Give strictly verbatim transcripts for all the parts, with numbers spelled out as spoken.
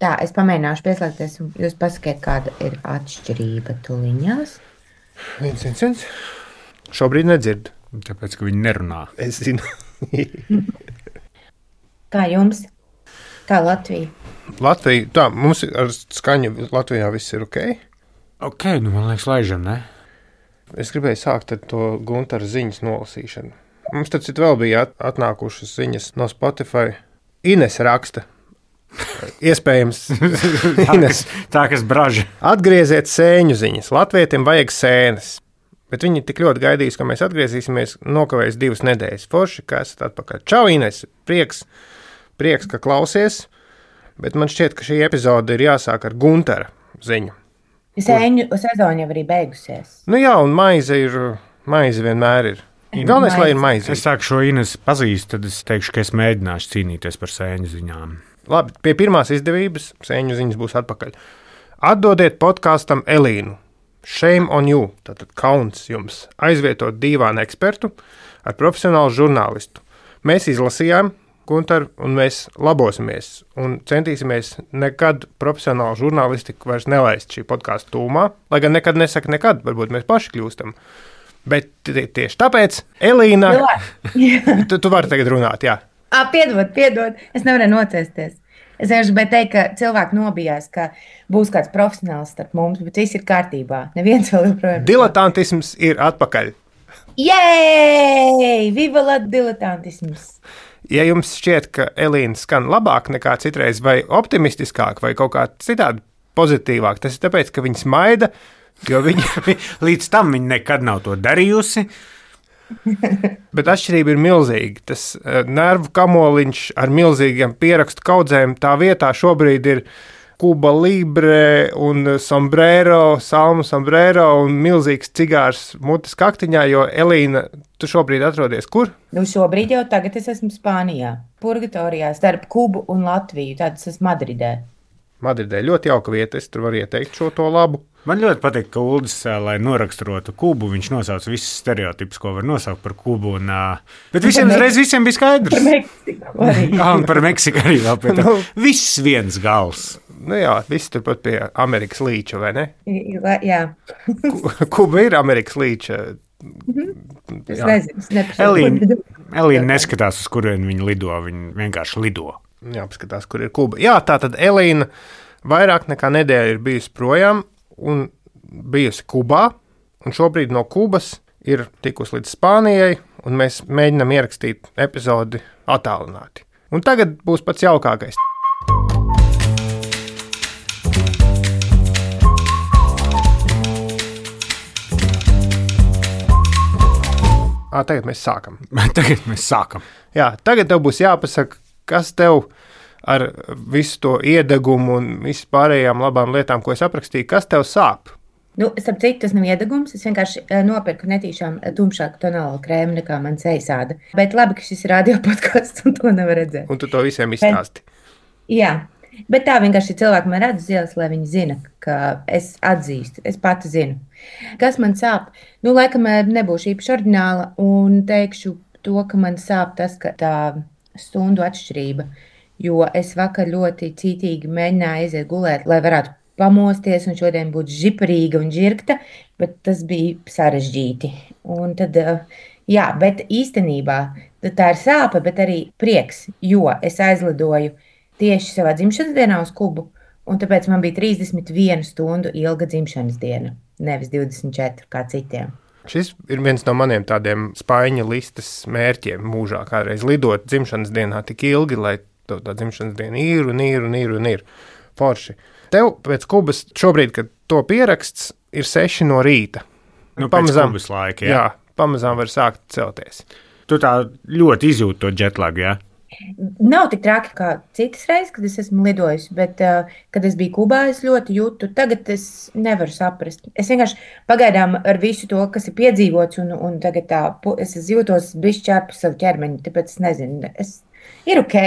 Tā, es pamēģināšu pieslēgties, un jūs pasakiet, kāda ir atšķirība tuliņās. Viens, viens, viens. Šobrīd nedzird. Tāpēc, ka viņi nerunā. Es zinu. Kā jums? Kā Latvija? Latvija, tā, mums ar skaņu Latvijā viss ir ok. Ok, nu man liekas, laižam, ne? Es gribēju sākt ar to Guntara ziņas nolasīšanu. Mums tad citu vēl bija atnākušas ziņas no Spotify. Ines raksta. Iespējams, Ines. Tā, kas braža. Atgrieziet sēņu ziņas. Latvietim vajag sēnes. Bet viņi tik ļoti gaidīs, ka mēs atgriezīsimies, nokavēs divas nedēļas. Forši, ka esat atpakaļ. Čau, Ines. Prieks, prieks, ka klausies. Bet man šķiet, ka šī epizode ir jāsāk ar Guntara ziņu. Sēņu sezona jau arī beigusies. Nu jā, un maize ir, maize vienmēr ir. Galvenais, lai ir maize. Es sāku šo Ines pazīstu, tad es teikšu, ka es mēģināšu cīnīties par sēņu ziņām. Labi, pie pirmās izdevības sēņu ziņas būs atpakaļ. Atdodiet podkāstam Elīnu. Shame on you, tātad kauns jums, aizvietot dīvānu ekspertu ar profesionālu žurnālistu. Mēs izlasījām Guntaru un mēs labosimies un centīsimies nekad profesionālu žurnālistiku vairs nelaist šī podkāsta tūmā, lai gan nekad nesaka nekad, varbūt mēs paši kļūstam. Bet tieši tāpēc, Elīna, tu, tu vari tagad runāt, jā. À, piedod, piedod, es nevarēju nocēsties. Es vienkārši gribēju teikt, ka cilvēki nobijās, ka būs kāds profesionāls starp mums, bet viss ir kārtībā. Neviens vēl joprojām. Diletantisms ir atpakaļ. Jēj! Viva la diletantisms! Ja jums šķiet, ka Elīna skan labāk nekā citreiz vai optimistiskāk vai kaut kā citādi pozitīvāk, tas ir tāpēc, ka viņa smaida, jo viņa līdz tam viņa nekad nav to darījusi. Bet atšķirība ir milzīga. Tas uh, nervu kamoliņš ar milzīgiem pierakstu kaudzēm tā vietā šobrīd ir Kuba Libre un sombrero, salmu sombrero un milzīgs cigārs mutes kaktiņā, jo Elīna, tu šobrīd atrodies kur? Nu šobrīd jau tagad es esmu Spānijā, Purgatorijā, starp Kubu un Latviju, tad es esmu Madridē. Madridē ļoti jauka vieta, es tur varu ieteikt šo to labu. Man ļoti patīk, ka Uldis, lai noraksturotu Kubu, viņš nosauc visus stereotipus, ko var nosaukt par Kubu. Un, bet visiem uzreiz visiem bija skaidrs. Par Meksiku arī. Jā, un par Meksiku arī vēl pie tā. Viss viens gals. Nu jā, viss turpat pie Amerikas līča, vai ne? Jā. Kuba ir Amerikas līča. Es nezinu, es nepašu. Elīna, Elīna neskatās, uz kurien viņa lido, viņa vienkārši lido. Jā, paskatās, kur ir Kuba. Jā, tā tad Elīna vairāk nekā nedēļa ir bijusi projām un bijusi Kubā, un šobrīd no Kubas ir tikusi līdz Spānijai, un mēs mēģinām ierakstīt epizodi attālināti. Un tagad būs pats jaukākais. À, tagad mēs sākam. Tagad mēs sākam. Jā, tagad tev būs jāpasaka, kas tev ar visu to iedegumu un visu pārējām labām lietām, ko es aprakstīju, kas tev sāp? Nu, starp citu, tas nav iedegums. Es vienkārši nopirku netīšām tumšāku tonālu krēmu nekā man sejasāda. Bet labi, ka šis ir radio podcasts un to nevar redzēt. Un tu to visiem izstāsti. Bet, jā, bet tā vienkārši cilvēki man redz uz ielas, lai viņi zina, ka es atzīstu, es pati zinu. Kas man sāp? Nu, laikam nebūšu īpaši ordināla un teikšu to, ka man sāp tas, ka tā stundu atšķirība. Jo es vakar ļoti cītīgi mēģināju aiziet gulēt, lai varētu pamosties un šodien būt žiparīga un žirgta, bet tas bija sarežģīti. Un tad, jā, bet īstenībā tā ir sāpe, bet arī prieks, jo es aizlidoju tieši savā dzimšanas dienā uz Kubu, un tāpēc man bija trīsdesmit viena stundu ilga dzimšanas diena, nevis divdesmit četri kā citiem. Šis ir viens no maniem tādiem spaiņa listas mērķiem mūžā, kādreiz lidot dzimšanas dienā tik ilgi, lai tā dzimšanas diena ir un ir un ir un ir forši. Tev pēc Kubas šobrīd, kad to pieraksts, ir seši no rīta. Nu, pamazām, pēc Kubas laika, jā. Jā, pamazām var sākt celties. Tu tā ļoti izjūti to jetlagu, jā? Nav tik traki kā citas reizes, kad es esmu lidojis, bet, uh, kad es biju Kubā, es ļoti jūtu. Tagad es nevaru saprast. Es vienkārši pagaidām ar visu to, kas ir piedzīvots, un, un tagad tā, es jūtos bišķi ārpus savu ķermeņu, tāpēc es nezinu. Es, ir ok.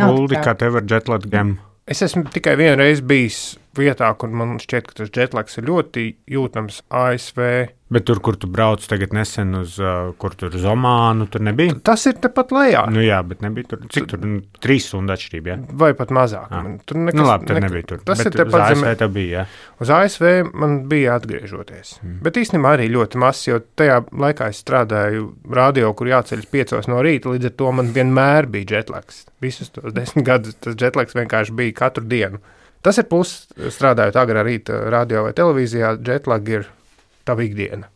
Uldi, kā tev ar jetlagiem? Es esmu tikai vienu reizi bijis vietā, kur man šķiet, ka tas jetlags ir ļoti jūtams A S V. Bet tur, kur tu brauc tagad nesen uz, uh, kur tur uz Omānu, tur nebija? Tas ir tepat lejā. Nu jā, bet nebija tur, cik tur, nu, trīs stundu atšķirība, jā? Vai pat mazāk. Man, tur nekas, nu labi, tur nekas, nebija tur. Tas bet ir tepat uz A S V zemē. tev bija, jā? Uz A S V man bija atgriežoties. Mm. Bet īstenībā arī ļoti maz, jo tajā laikā es strādāju radio, kur jāceļas piecos no rīta, līdz ar to man vienmēr bija jetlags. Visus tos desmit gadus tas jetlags vienkārši bija katru dienu. Tas ir plus, strādājot agrā rīta radio vai televīzijā, jetlag ir tava ikdiena.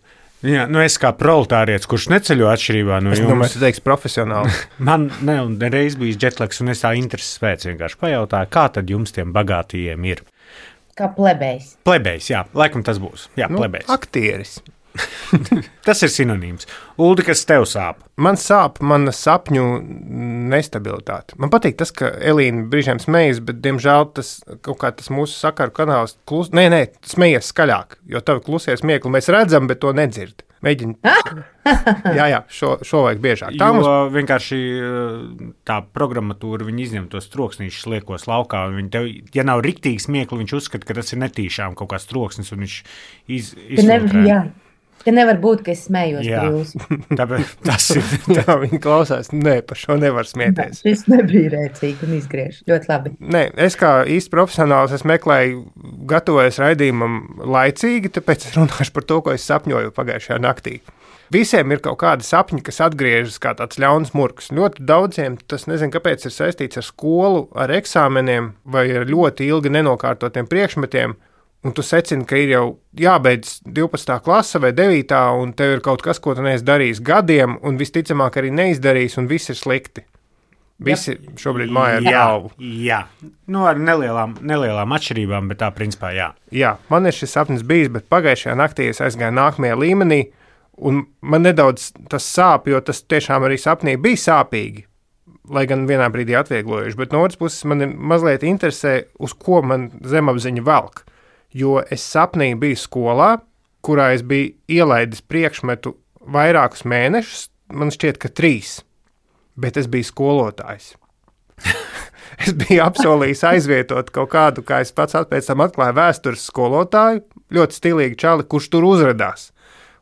Jā, nu es kā proletārietis, kurš neceļo atšķirībā no es jums. Es domāju, tu teiksi profesionāli. Man ne, un reiz bijis jetlags, un es tā intereses pēc vienkārši pajautāju, kā tad jums tiem bagātījiem ir? Kā plebejs. Plebejs, jā, laikam tas būs. Jā, nu, plebejs. Aktieris. Tas ir sinonīms. Uldi, kas tev sāp? Man sāp mana sapņu nestabilitāte. Man patīk tas, ka Elīna brīžiem smejas, bet, diemžēl, tas kaut kā tas mūsu sakaru kanāls klus... Nē, nē, smejas skaļāk, jo tavi klusie smiekli mēs redzam, bet to nedzird. Mēģini. jā, jā, šo, šo vajag biežāk. Tā jo mums... vienkārši tā programmatūra, viņi izņem tos troksnīšus liekos laukā, un viņi tev, ja nav riktīgi smiekli, viņš uzskata, ka tas ir netīšām kaut kāds troksnis, un viņš iz, izfiltrē. Ka nevar būt, ka es smējos par jūs. Tāpēc tas ir. Tā viņi klausās. Nē, par šo nevar smieties. Šis nebija rēcīgi un izgriež. Ļoti labi. Nē, es kā īsti profesionāls, es meklēju, gatavojos raidījumam laicīgi, tāpēc es runāšu par to, ko es sapņoju pagājušajā naktī. Visiem ir kaut kādi sapņi, kas atgriežas kā tāds ļauns murgs. Ļoti daudziem tas, nezinu, kāpēc ir saistīts ar skolu, ar eksāmeniem vai ar ļoti ilgi nenokārtotiem priekšmetiem. Un tu secini, ka ir jau jābeidz divpadsmitā klase vai devītā, un tev ir kaut kas, ko tu neesi darījis gadiem, un visticamāk arī neizdarījis, un viss ir slikti. Visi Jep. šobrīd mājā ar galvu. Jā, nu ar nelielām, nelielām atšķirībām, bet tā principā jā. Jā, man ir šis sapnis bijis, bet pagājušajā naktī es aizgāju nākamajā līmenī, un man nedaudz tas sāp, jo tas tiešām arī sapnī bija sāpīgi, lai gan vienā brīdī atvieglojuši, bet no otras puses man ir mazliet interesē, uz ko man zemapziņa velk. Jo es sapnī biju skolā, kurā es biju ielaidis priekšmetu vairākus mēnešus, man šķiet, ka trīs, bet es biju skolotājs. Es biju apsolījis aizvietot kaut kādu, kā es pats pēc tam atklāju vēstures skolotāju, ļoti stilīgi čali, kurš tur uzradās.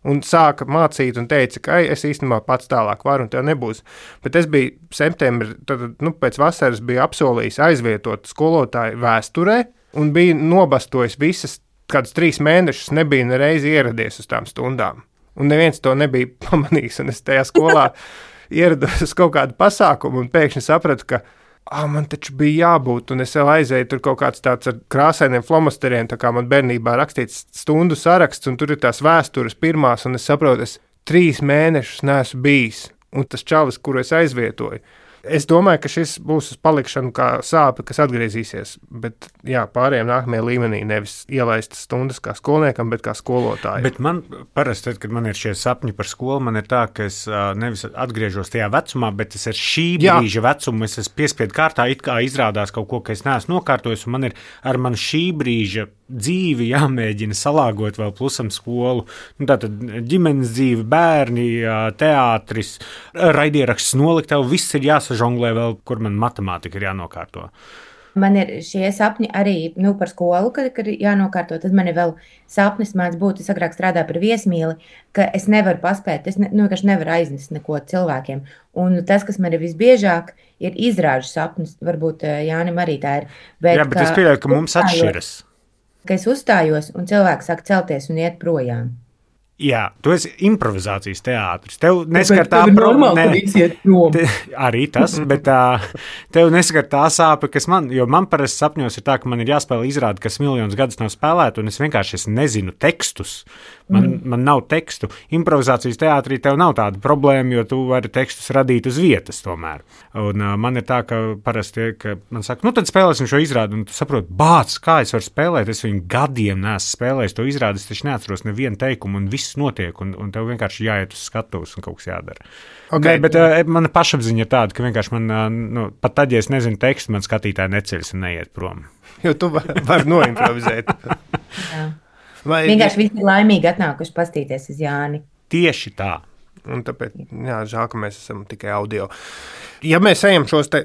Un sāka mācīt un teica, ka es īstenībā pats tālāk varu un tev nebūs. Bet es biju septembrī, tad, nu, pēc vasaras biju apsolījis aizvietot skolotāju vēsturē, un bija nobastojis visas, kādas trīs mēnešus nebija nereizi ieradies uz tām stundām. Un neviens to nebija pamanījis, un es tajā skolā ierados uz kaut kādu pasākumu un pēkšņi sapratu, ka ah, man taču bija jābūt, un es vēl aizēju tur kaut kāds tāds ar krāsainiem flomasteriem, tā kā man bērnībā rakstīts stundu saraksts, un tur ir tās vēstures pirmās, un es saprotu, es trīs mēnešus neesmu bijis, un tas čalis, kuru es aizvietoju. Es domāju, ka šis būs uz palikšanu kā sāpe, kas atgriezīsies, bet jā, pārējiem nākamajā līmenī nevis ielaistas stundas kā skolniekam, bet kā skolotāji. Bet man parasti, tad, kad man ir šie sapņi par skolu, man ir tā, ka es uh, nevis atgriežos tajā vecumā, bet es ar šī jā. brīža vecumu, es esmu piespiedu kārtā, it kā izrādās kaut ko, ka es neesmu nokārtojis, un man ir ar man šī brīža dzīvi jāmēģina salāgot vēl plusam skolu. Nu, tātad ģimenes dzīve, bērni, teātris, raidieraksts noliktava, viss ir jāsažonglē vēl, kur man matemātika ir jānokārto. Man ir šie sapņi arī nu, par skolu, kad, kad ir jānokārto. Tad man ir vēl sapnis mēdz būt, es agrāk strādāju par viesmīli, ka es nevaru paspēt, es ne, nu, nevaru aiznest neko cilvēkiem. Un tas, kas man ir visbiežāk, ir izrāžu sapnis. Varbūt Jānim arī tā ir. Bet, Jā, bet es pieļauju, ka mums atšķiras. Ka es uzstājos un cilvēks sāk celties un iet projām. Jā, tu esi improvizācijas teātris. Tev neskar tā problēma. Te, arī tas, bet tā, tev neskar tā sāpe, kas man, jo man parasti sapņos ir tā, ka man ir jāspēlē izrādi, kas miljonus gadus nav spēlēta, un es vienkārši es nezinu tekstus. Man, mm. man nav tekstu. Improvizācijas teātrī tev nav tāda problēma, jo tu vari tekstus radīt uz vietas tomēr. Un uh, man ir tā, ka parasti, ka man saka, nu tad spēlēsim šo izrādi, un tu saproti, bāc, kā es varu spēlēt, es viņu gadiem neesmu spēlējis to izrādi, es taču neatceros nevienu teikumu, un viss notiek, un, un tev vienkārši jāiet uz skatuves un kaut kas jādara. Okay. Ne, bet uh, mana pašapziņa ir tāda, ka vienkārši man, uh, nu, pat tad, ja es nezinu tekstu, man skatītāji neceļas un neiet prom. Jo tu vari var noimprovizēt. Jā. Vai vienkārši visi ir laimīgi atnākuši pastīties uz Jāni. Tieši tā. Un tāpēc, jā, žēl, ka mēs esam tikai audio. Ja mēs ejam šos te,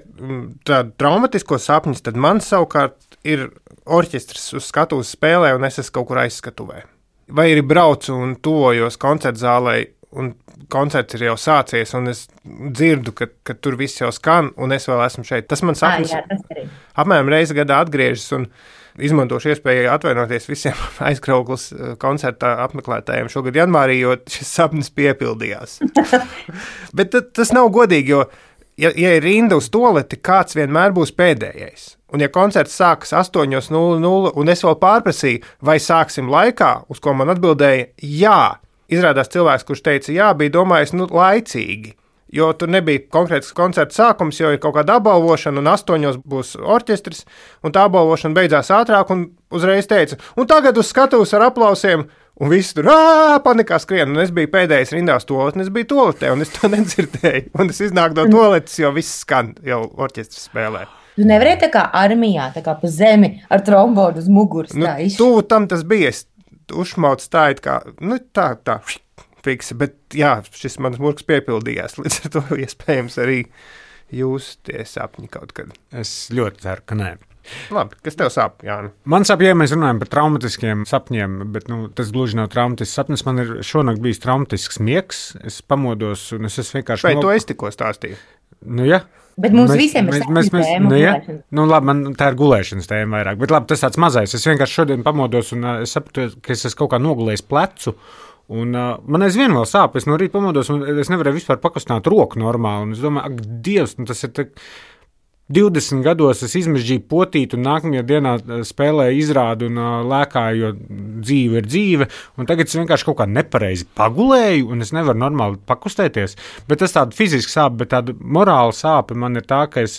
traumatiskos sapņus, tad man savukārt ir orķestris uz skatuves spēlē, un es esmu kaut kur aizskatuvē. Vai arī braucu un tuvojos koncerta zālē, un koncerts ir jau sācies, un es dzirdu, ka, ka tur viss jau skan, un es vēl esmu šeit. Tas man sapnis à, jā, tas apmēram reizi gadā atgriežas, un izmantošu iespēju atvainoties visiem aizkrauklas koncerta apmeklētājiem šogad janvārī, jo šis sapnis piepildījās. Bet tas nav godīgi, jo, ja, ja ir rinda uz toleti, kāds vienmēr būs pēdējais. Un ja koncerts sākas astoņi nulle nulle, un es vēl pārprasīju, vai sāksim laikā, uz ko man atbildēja jā. Izrādās cilvēks, kurš teica jā, bija domājis, nu, laicīgi. Jo tur nebija konkrēts koncerta sākums, jo ir kaut kāda apbalvošana, un astoņos būs orķestris, un tā apbalvošana beidzās ātrāk, un uzreiz teica, un tagad uz skatuves ar aplausiem, un viss tur ā, panikā skrien, un es biju pēdējais rindā uz toaletes, un es biju toaletē, un es to nedzirdēju, un es iznāku no toaletes, jo viss skan, jau orķestris spēlē. Tu nevarēji tā kā armijā, tā kā pa zemi ar trombonu uz muguras. Nu, tuvu tam tas bija, es uzšmaucu tā, it kā, nu tā, tā, fiksa, bet jā, šis mans murgs piepildījās, līdz ar to iespējams arī jūs tie sapņi kaut kad. Es ļoti ceru, ka nē. Labi, kas tev sāp, Jāni? Man sāp, ja mēs runājam par traumatiskiem sapņiem, bet nu, tas gluži nav traumatisks sapnis. Man ir šonakt bijis traumatisks miegs, es pamodos un es esmu vienkārši... Vai no... to es tikko stāstīju? Nu, jā. Bet mums mēs, visiem ir sapņu tēma. Nu, ja? Nu, labi, man tā ir gulēšanas tēma vairāk, bet labi, tas tāds mazais. Es vienkārši šodien pamodos un uh, es sapratu, ka es esmu kaut kā nogulējis plecu. Un, uh, man aizvien vēl sāp, es no rīta pamodos, un es nevarēju vispār pakustināt roku normāli. Un es domāju, ak, Dievs, nu, tas ir tā, divdesmit gados es izmežģīju potīt, un nākamajā dienā spēlēju izrādu un uh, lēkāju, jo dzīve ir dzīve. Un tagad es vienkārši kaut kā nepareizi pagulēju, un es nevaru normāli pakustēties. Bet tas tāda fiziska sāpe, bet tāda morāla sāpe man ir tā, ka es.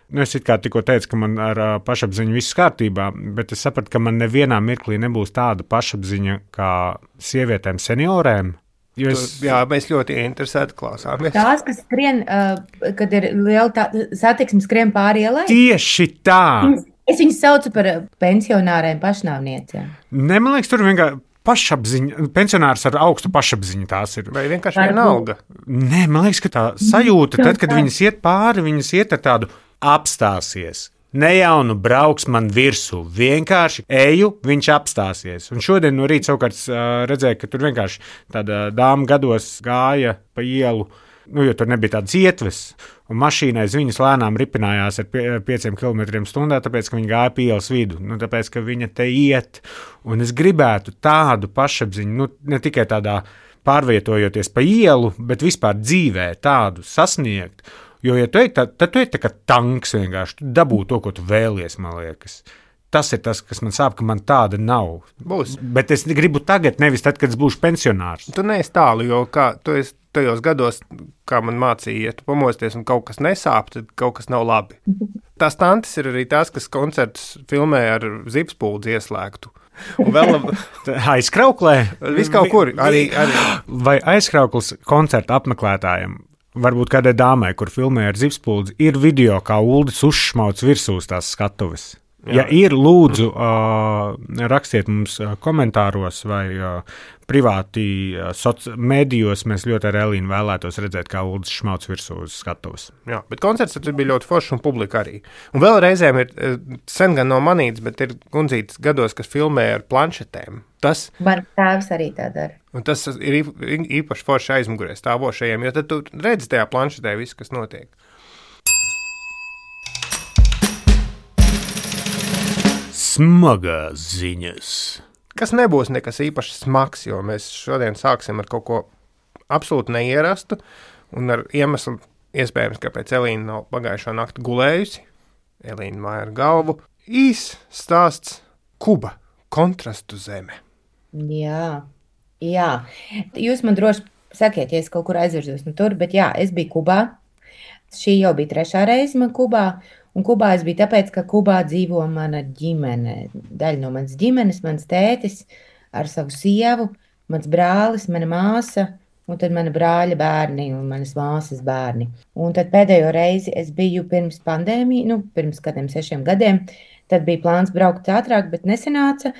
Nu, es it kā tikko teicu, ka man ar uh, pašapziņu viss kārtībā, bet es sapratu, ka man nevienā mirklī nebūs tāda pašapziņa kā sievietēm seniorēm. Es... Tu, jā, mēs ļoti interesēti klausāmies. Tās, kas skrien, uh, kad ir liela tā, satiksme, skrien pāri ielai? Tieši tā! Es viņus saucu par pensionāriem pašnāvniecēm. Ne, man liekas, tur vienkārši pašapziņa, pensionārs ar augstu pašapziņu tās ir. Vai vienkārši vienalga? Nē, man liekas, ka tā sajūta, tad, kad viņas iet pāri, viņas iet ar tādu apstāsies. Ne jau nu brauks man virsū, vienkārši eju, viņš apstāsies. Un šodien no rīta savukārt uh, redzēju, ka tur vienkārši tāda dāma gados gāja pa ielu, nu, jo tur nebija tādas ietves, un mašīnai uz viņas lēnām ripinājās ar pie, pieciem kilometriem stundā, tāpēc, ka viņa gāja pa ielas vidu, nu, tāpēc, ka viņa te iet. Un es gribētu tādu pašapziņu, nu, ne tikai tādā pārvietojoties pa ielu, bet vispār dzīvē tādu sasniegt. Jo, ja tu ej, tad, tad tu ej tā kā tanks vienkārši, tu dabū to, ko tu vēlies, man liekas. Tas ir tas, kas man sāp, ka man tāda nav. Būs. Bet es gribu tagad, nevis tad, kad es būšu pensionārs. Tu neesi tālu, jo kā tu esi tajos gados, kā man mācīja, ja tu pamosties un kaut kas nesāp, tad kaut kas nav labi. Tās tantes ir arī tās, kas koncertus filmē ar zipspuldzi ieslēgtu. Un vēl aizkrauklē? Viss kaut kur. Arī, arī. Vai aizkrauklis koncerta apmeklētājiem? Varbūt kādai dāmai, kur filmē ar zipspuldzi, ir video, kā Uldis uzšmauc virsū tās skatuves. Jā. Ja ir, lūdzu, uh, rakstiet mums komentāros vai uh, privāti uh, soci medijos. Mēs ļoti ar Elīnu vēlētos redzēt, kā Uldis šmauc virsū uz skatuves. Jā, bet koncerts tur bija ļoti foršs un publika arī. Un vēl reizēm ir, sen gan nav manīts, bet ir gundzītas gados, kas filmē ar planšetēm. Tas, man tēvs arī tā dara. Un tas ir īpaši forši aizmugurē stāvošajiem, jo tad tu redzi tajā planšetē visu, kas notiek. Smagās ziņas. Kas nebūs nekas īpaši smags, jo mēs šodien sāksim ar kaut ko absolūti neierastu un ar iemeslu iespējams, kāpēc Elīna nav pagājušo nakti gulējusi. Elīna māja ar galvu. Īs stāsts Kuba, kontrastu zeme. Jā, jā. Jūs man droši sakiet, ja es kaut kur aizvirzos no tur, bet jā, es biju Kubā. Šī jau bija trešā reize man Kubā. Un Kubā es biju tāpēc, ka Kubā dzīvo mana ģimene. Daļa no manas ģimenes, mans tētis ar savu sievu, mans brālis, mana māsa, un tad mana brāļa bērni un manas māsas bērni. Un tad pēdējo reizi es biju pirms pandēmija, nu, pirms kādiem sešiem gadiem. Tad bija plāns braukt ātrāk, bet nesanāca.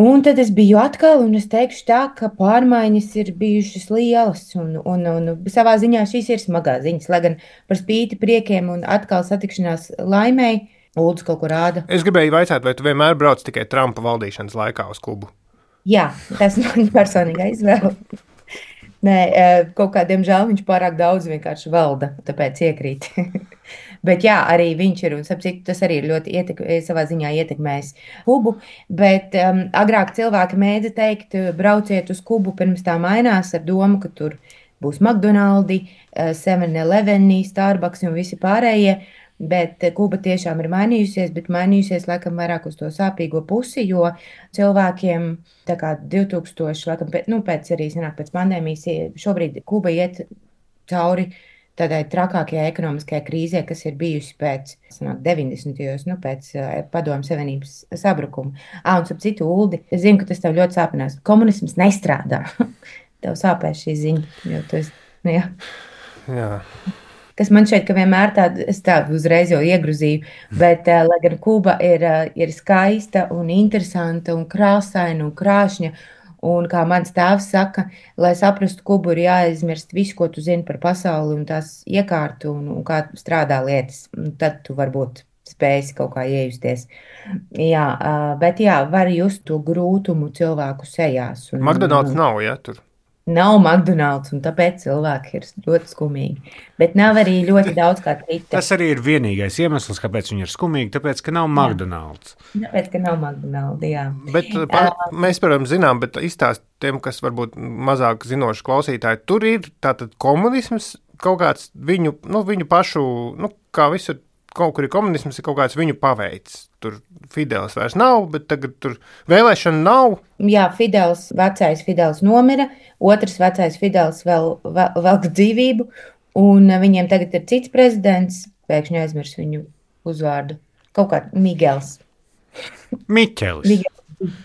Un tad es biju atkal, un es teikšu tā, ka pārmaiņas ir bijušas lielas, un, un, un savā ziņā šīs ir smagās ziņas, lai gan par spīti priekiem un atkal satikšanās laimēji, Uldis kaut ko rāda. Es gribēju vaicāt, vai tu vienmēr brauc tikai Trumpa valdīšanas laikā uz Kubu? Jā, tas ir mans personīgā izvēle. Nē, kaut kā, diemžēl, viņš pārāk daudz vienkārši valda, tāpēc iekrīt. Bet jā, arī viņš ir, un sapcīt, tas arī ir ļoti ietek, savā ziņā ietekmējis Kubu. Bet um, agrāk cilvēki mēdza teikt, brauciet uz Kubu, pirms tā mainās ar domu, ka tur būs McDonald's, seven eleven, Starbucks un visi pārējie. Bet Kuba tiešām ir mainījusies, bet mainījusies laikam vairāk uz to sāpīgo pusi, jo cilvēkiem tā kā divtūkstoši, laikam, pēc, nu, pēc arī sanāk pēc pandēmijas, šobrīd Kuba iet cauri tādai trakākajai ekonomiskajai krīzē, kas ir bijusi pēc sanāk, deviņdesmitajos, nu, pēc Padomju Savienības sabrukuma. Ā, un ap citu, Uldi, es zinu, ka tas tev ļoti sāpinās. Komunisms nestrādā. Tev sāpēs šī ziņa, jo tu esi, nu, jā. Jā. Kas man šeit, ka vienmēr tādu, es tādu uzreiz jau iegruzīju, bet, uh, lai gan Kuba ir, uh, ir skaista un interesanta un krāsaina un krāšņa, un kā mans tēvs saka, lai saprastu Kubu, ir jāaizmirst visu, ko tu zini par pasauli un tās iekārtu un, un kā strādā lietas. Un tad tu varbūt spēsi kaut kā iejusties. Jā, uh, bet jā, var just to grūtumu cilvēku sejās. Un, McDonald's nav, ja, tur? Nav McDonald's, un tāpēc cilvēki ir ļoti skumīgi. Bet nav arī ļoti daudz kā cita. Tas arī ir vienīgais iemesls, kāpēc viņi ir skumīgi, tāpēc, ka nav McDonald's. Jā. Tāpēc, ka nav McDonald's, jā. Bet pa, mēs, protams, zinām, bet izstāst tiem, kas varbūt mazāk zinoši klausītāji, tur ir tātad komunisms, kaut kāds viņu, nu, viņu pašu, nu, kā visur, kaut kur ir komunisms, ir kaut kāds viņu paveids. Tur Fidels vairs nav, bet tagad tur vēlēšana nav. Jā, Fidels, vecais Fidels nomira, otrs vecais Fidels vēl, vēl, velk dzīvību, un viņiem tagad ir cits prezidents, pēkšņi aizmirs viņu uzvārdu. Kaut kā Migels. Miķelis. Migels.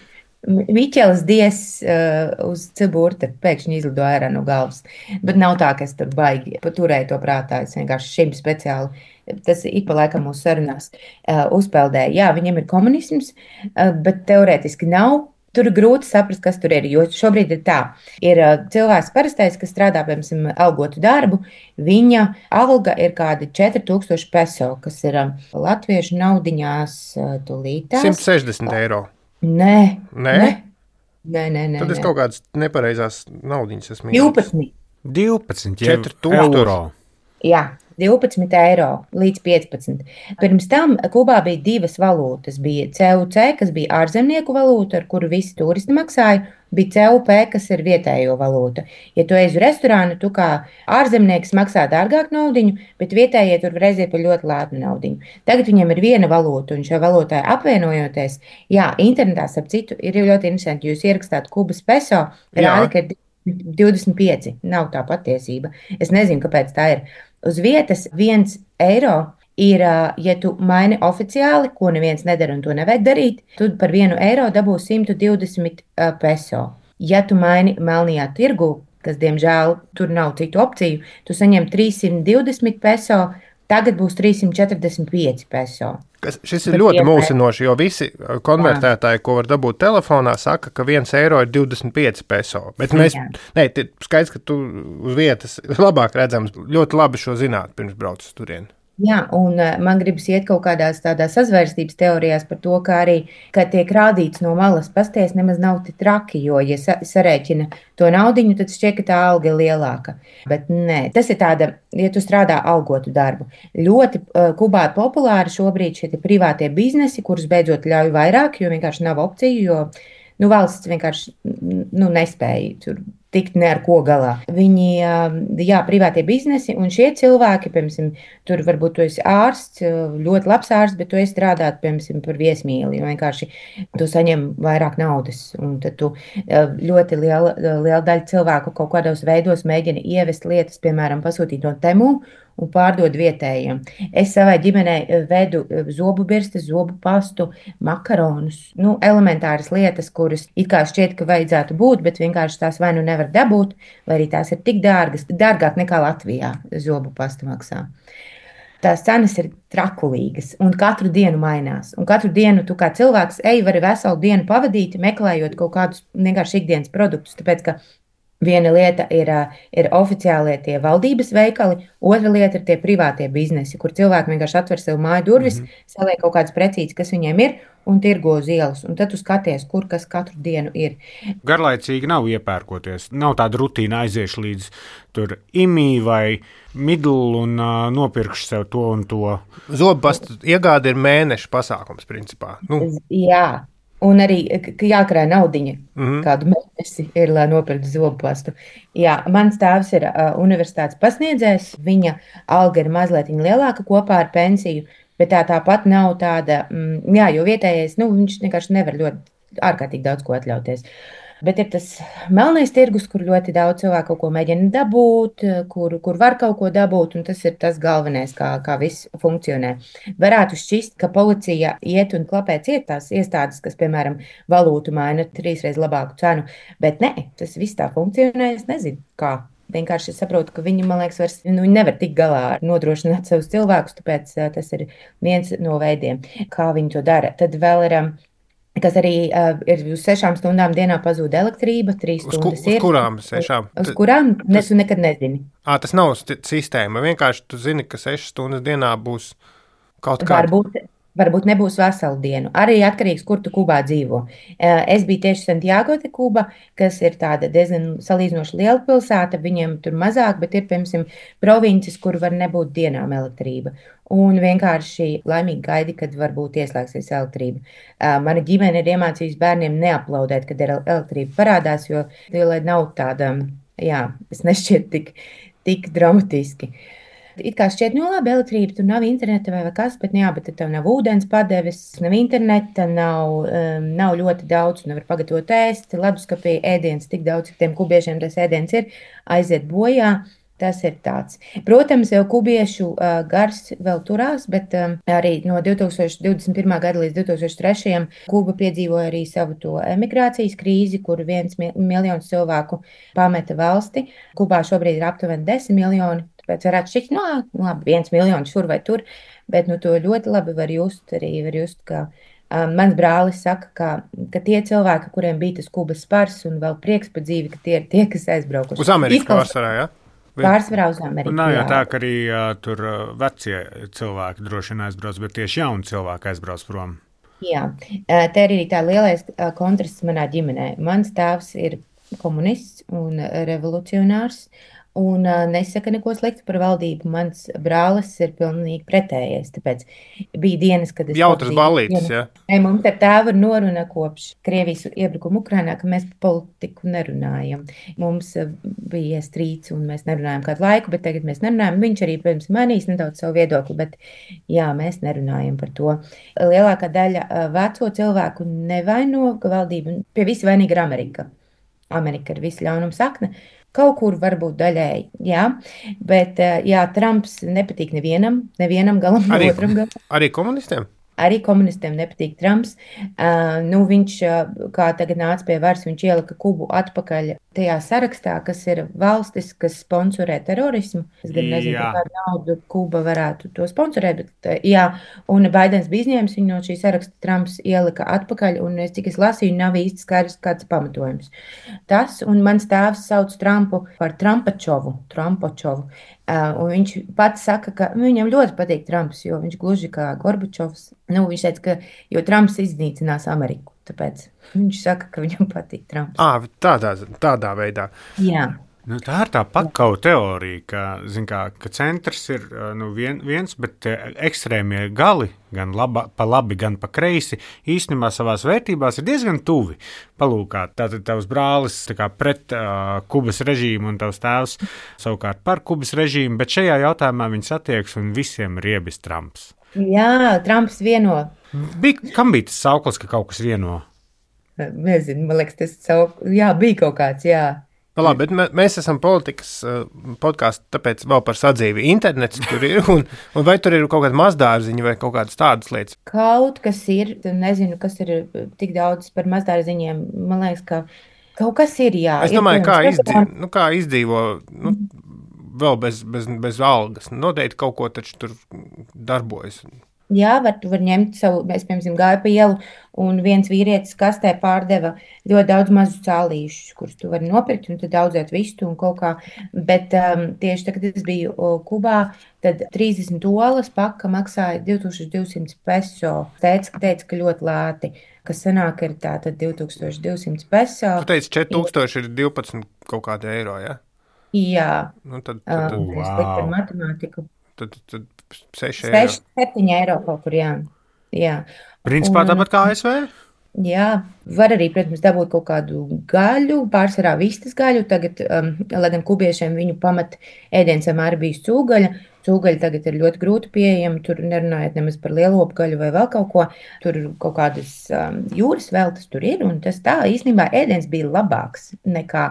Miķelis Dies uh, uz Ciburta pēkšņi izlido ārā no galvas. Bet nav tā, ka es tur baigi paturēju to prātā. Es vienkārši šim speciāli, tas ik pa laikam mūsu sarunās uh, uzpeldēju. Jā, viņiem ir komunisms, uh, bet teorētiski nav. Tur ir grūti saprast, kas tur ir, jo šobrīd ir tā. Ir uh, cilvēks parastais, kas strādā, piemēram, algotu darbu, viņa alga ir kādi četri tūkstoši peso, kas ir uh, latviešu naudiņās uh, tulītās. simt sešdesmit eiro. Nē, nē, nē, nē, nē, nē. Tad es kaut kādas nepareizās naudiņas esmu. divpadsmit. divpadsmit četri tūkstoši eiro. Jā, divpadsmit eiro līdz piecpadsmit. Pirms tam Kubā bija divas valūtas. Bija C U C, kas bija ārzemnieku valūta, ar kuru visi turisti maksāja, bija C U P, kas ir vietējo valūta. Ja tu ej uz restorānu, tu kā ārzemnieks maksā dārgāk naudiņu, bet vietējie tur reiz ir par ļoti lētu naudiņu. Tagad viņiem ir viena valūta, un šai valūtai apvienojoties, jā, internetā ap citu ir ļoti interesanti, jūs ierakstāt Kubas peso, rāda, ka ir divdesmit pieci, nav tā patiesība. Es nezinu, kāpēc tā ir. Uz vietas viens eiro ir, ja tu maini oficiāli, ko neviens nedara un to nevajag darīt, tu par vienu eiro dabū simt divdesmit peso. Ja tu maini melnajā tirgu, kas, diemžēl, tur nav citu opciju, tu saņem trīssimt divdesmit peso, tagad būs trīssimt četrdesmit pieci peso. Kas, šis ir ļoti mulsinoši, jo visi konvertētāji, ko var dabūt telefonā, saka, ka viens eiro ir divdesmit pieci peso. Bet mēs, nē, skaidrs, ka tu uz vietas labāk redzams, ļoti labi šo zināt, pirms brauc uz turieni. Jā, un man gribas iet kaut kādās tādās sazvērstības teorijās par to, ka arī, kad tiek rādīts no malas pasties, nemaz nav tik traki, jo, ja sarēķina to naudiņu, tad šķiet, ka tā alga ir lielāka. Bet nē, tas ir tāda, ja tu strādā algotu darbu. Ļoti uh, Kubā populāri šobrīd šie privātie biznesi, kurus beidzot ļauj vairāk, jo vienkārši nav opciju, jo nu, valsts vienkārši nu, nespēja tur tikt ne ar ko galā. Viņi, jā, privātie biznesi, un šie cilvēki, piemēram, tur varbūt tu esi ārsts, ļoti labs ārsts, bet tu esi strādāt, piemēram, par viesmīli, jo vienkārši tu saņem vairāk naudas, un tad tu ļoti liela, liela daļa cilvēku kaut kādos veidos mēģina ievest lietas, piemēram, pasūtīt no Temu un pārdod vietējiem. Es savai ģimenei vedu zobu birstes, zobu pastu, makaronus, nu, elementāras lietas, kuras it kā šķiet, ka vajadzētu būt, bet vienkārši tās vai nu nevar dabūt, vai arī tās ir tik dārgas, dārgāk nekā Latvijā zobu pasta maksā. tās cenas ir trakulīgas un katru dienu mainās. Un katru dienu tu kā cilvēks ej, vari veselu dienu pavadīt, meklējot kaut kādus vienkārši ikdienas produktus. Tāpēc, ka viena lieta ir, ir oficiālie tie valdības veikali, otra lieta ir tie privātie biznesi, kur cilvēki vienkārši atver sev māju durvis, mm-hmm. saliek kaut kādas precīzes, kas viņiem ir, un tirgo uz ielas. Un tad tu skaties, kur kas katru dienu ir. Garlaicīgi nav iepērkoties. Nav tāda rutīna aiziešu līdz tur imī vai midlu un uh, nopirkšu sev to un to. Zobpasta iegāde ir mēneša pasākums, principā. Nu. Jā. Un arī jākrāj naudiņa, mm-hmm. kādu mēnesi ir, lai nopirktu zobpastu. Jā, mans tēvs ir uh, universitātes pasniedzējs, viņa alga ir mazliet lielāka kopā ar pensiju, bet tā tāpat nav tāda, mm, jā, jo vietējais, nu, viņš vienkārši nevar ļoti ārkārtīgi daudz ko atļauties. Bet ir tas melnais tirgus, kur ļoti daudz cilvēku kaut ko mēģina dabūt, kur, kur var kaut ko dabūt, un tas ir tas galvenais, kā, kā viss funkcionē. Varētu šķist, ka policija iet un klapē ciet tās iestādes, kas, piemēram, valūtu maina trīsreiz labāku cenu, bet nē, tas viss tā funkcionē, es nezinu, kā. Vienkārši es saprotu, ka viņi, man liekas, vairs, nu, viņi nevar tikt galā ar nodrošināt savus cilvēkus, tāpēc tas ir viens no veidiem, kā viņi to dara. Tad vēl ir... kas arī uh, ir uz sešām stundām dienā pazūd elektrība, trīs uz stundas ku, uz ir. Uz kurām sešām? Uz kurām? Ne, tu nekad nezini. Ā, tas nav sistēma. Vienkārši tu zini, ka sešas stundas dienā būs kaut kāda. Varbūt, varbūt nebūs veselu dienu. Arī atkarīgs, kur tu Kubā dzīvo. Uh, es biju tieši Santiago de Kuba, kas ir tāda diezgan salīdzinoši liela pilsēta. Viņiem tur mazāk, bet ir, piemēram, provinces, kur var nebūt dienām elektrība. Un vienkārši laimīgi gaidi, kad varbūt ieslēgsies elektrība. Uh, mana ģimene ir iemācījusi bērniem neaplaudēt, kad ir elektrība parādās, jo, lai nav tāda, jā, es nešķiet tik, tik dramatiski. It kā šķiet, nu labi, elektrība, tur nav interneta vai kas, bet, jā, bet tev nav ūdens padeves, nav interneta, nav, um, nav ļoti daudz, nevar pagatavot ēst, leduskapī ēdiens, tik daudz, ka tiem kubiešiem tas ēdiens ir, aiziet bojā. Tas ir tāds. Protams, jau kubiešu uh, gars vēl turās, bet um, arī no divi tūkstoši divdesmit pirmā gada līdz divi tūkstoši trešajam Kuba piedzīvoja arī savu to emigrācijas krīzi, kur viens mi- miljons cilvēku pameta valsti. Kubā šobrīd ir aptuveni desmit miljoni, tāpēc varētu šķikt, no, labi, viens miljons šur vai tur, bet nu, to ļoti labi var just, arī var just, ka um, mans brālis saka, ka, ka tie cilvēki, kuriem bija tas Kubas spars un vēl prieks par dzīvi, ka tie ir tie, kas aizbraukuši. Uz Ameriku pārsvarā, jā? Pārsvarā uz Ameriku. Nav jau tā, ka arī uh, tur uh, vecie cilvēki droši vien aizbrauc, bet tieši jauni cilvēki aizbrauc prom. Jā, te ir arī tā lielais kontrasts manā ģimenē. Mans tēvs ir komunists un revolucionārs un nesaka neko sliktu par valdību. Mans brālis ir pilnīgi pretējais, tāpēc bija dienas, kad es... Jautras ballītes, jā? Ja? Mums ar tēvu ir noruna kopš Krievijas iebrukuma Ukrainā, ka mēs par politiku nerunājam. Mums bija strīds un mēs nerunājam kādu laiku, bet tagad mēs nerunājam. Viņš arī, protams, mainīs nedaudz savu viedokli, bet jā, mēs nerunājam par to. Lielākā daļa veco cilvēku nevaino, ka valdība pie visa vainīga ir Amerika. Amerika ir visa ļaunuma sakne. Kaut kur varbūt daļēji, jā, bet jā, Trumps nepatīk nevienam, nevienam galam, arī, otram galam. Arī komunistiem? Arī komunistiem nepatīk Trumps. Uh, nu, viņš, kā tagad nāca pie varas, viņš ielika Kubu atpakaļ tajā sarakstā, kas ir valstis, kas sponsorē terorismu. Es gan nezinu, Jā. kādu naudu Kuba varētu to sponsorēt, bet jā, un Baidens bija izņēmis viņu no šī saraksta, Trumps ielika atpakaļ, un es cik es lasīju, nav īsti skaidrs kāds pamatojums. Tas, un mans tēvs sauc Trumpu par Trumpačovu, Trumpačovu. Uh, un viņš pats saka, ka viņam ļoti patīk Trumps, jo viņš gluži kā Gorbačovs. Nu, viņš teica, ka jo Trumps iznīcinās Ameriku, tāpēc viņš saka, ka viņam patīk Trumps. À, tādā, tādā veidā. Jā. Nu, tā ir tā pakauta teorija, ka, zin kā, ka centrs ir nu, vien, viens, bet ekstrēmie gali, gan laba, pa labi, gan pa kreisi, īstenībā savās vērtībās ir diezgan tuvi. Palūkāt, tātad tavs brālis tā kā pret uh, Kubas režīmu un tavs tēvs savukārt par Kubas režīmu, bet šajā jautājumā viņi satieks un visiem ir iebis Trumps. Jā, Trumps vieno. Bija, kam bija tas sauklis, ka kaut kas vieno? Nezinu, man liekas, tas sauk... jā, bija kaut kāds, jā. Nu, labi, bet mēs esam politikas uh, podkāsts, tāpēc vēl par sadzīvi. Internets tur ir, un, un vai tur ir kaut kāda mazdārziņa vai kaut kādas tādas lietas? Kaut kas ir, nezinu, kas ir tik daudz par mazdārziņiem. Man liekas, ka kaut kas ir, jā. Es domāju, kā, izdzīvo, nu, kā izdzīvo nu, vēl bez, bez, bez algas. Noteikti kaut ko taču tur darbojas. Jā, var, tu var ņemt savu, es, piemēram, gāju pa ielu, un viens vīrietis kastē pārdeva ļoti daudz mazu cālīšus, kurus tu vari nopirkt, un tad audzēt vistu un kaut kā. Bet um, tieši tagad, kad es biju Kubā, tad trīsdesmit olas paka maksāja divi tūkstoši divsimt peso. Teica, teica, ka ļoti lēti, kas sanāk ir tātad divi tūkstoši divsimt peso. Tu teici, četri tūkstoši ir divpadsmit kaut kādi eiro, ja? Jā. Nu, tad, tad, um, wow. Es liktu ar matemātiku. Tad, tad seši eiro. seši, septiņi eiro kaut kur, jā. jā. Principā un, tāpat kā A S V? Jā, var arī, protams, dabūt kaut kādu gaļu, pārsvarā vistas gaļu. Tagad, um, lai gan kubiešiem viņu pamat ēdiens vienmēr bija cūgaļa. Cūgaļa tagad ir ļoti grūti pieejama, tur nerunājot nemaz par lielopu gaļu vai vēl kaut ko. Tur kaut kādas um, jūras veltas tur ir, un tas tā īstenībā ēdiens bija labāks nekā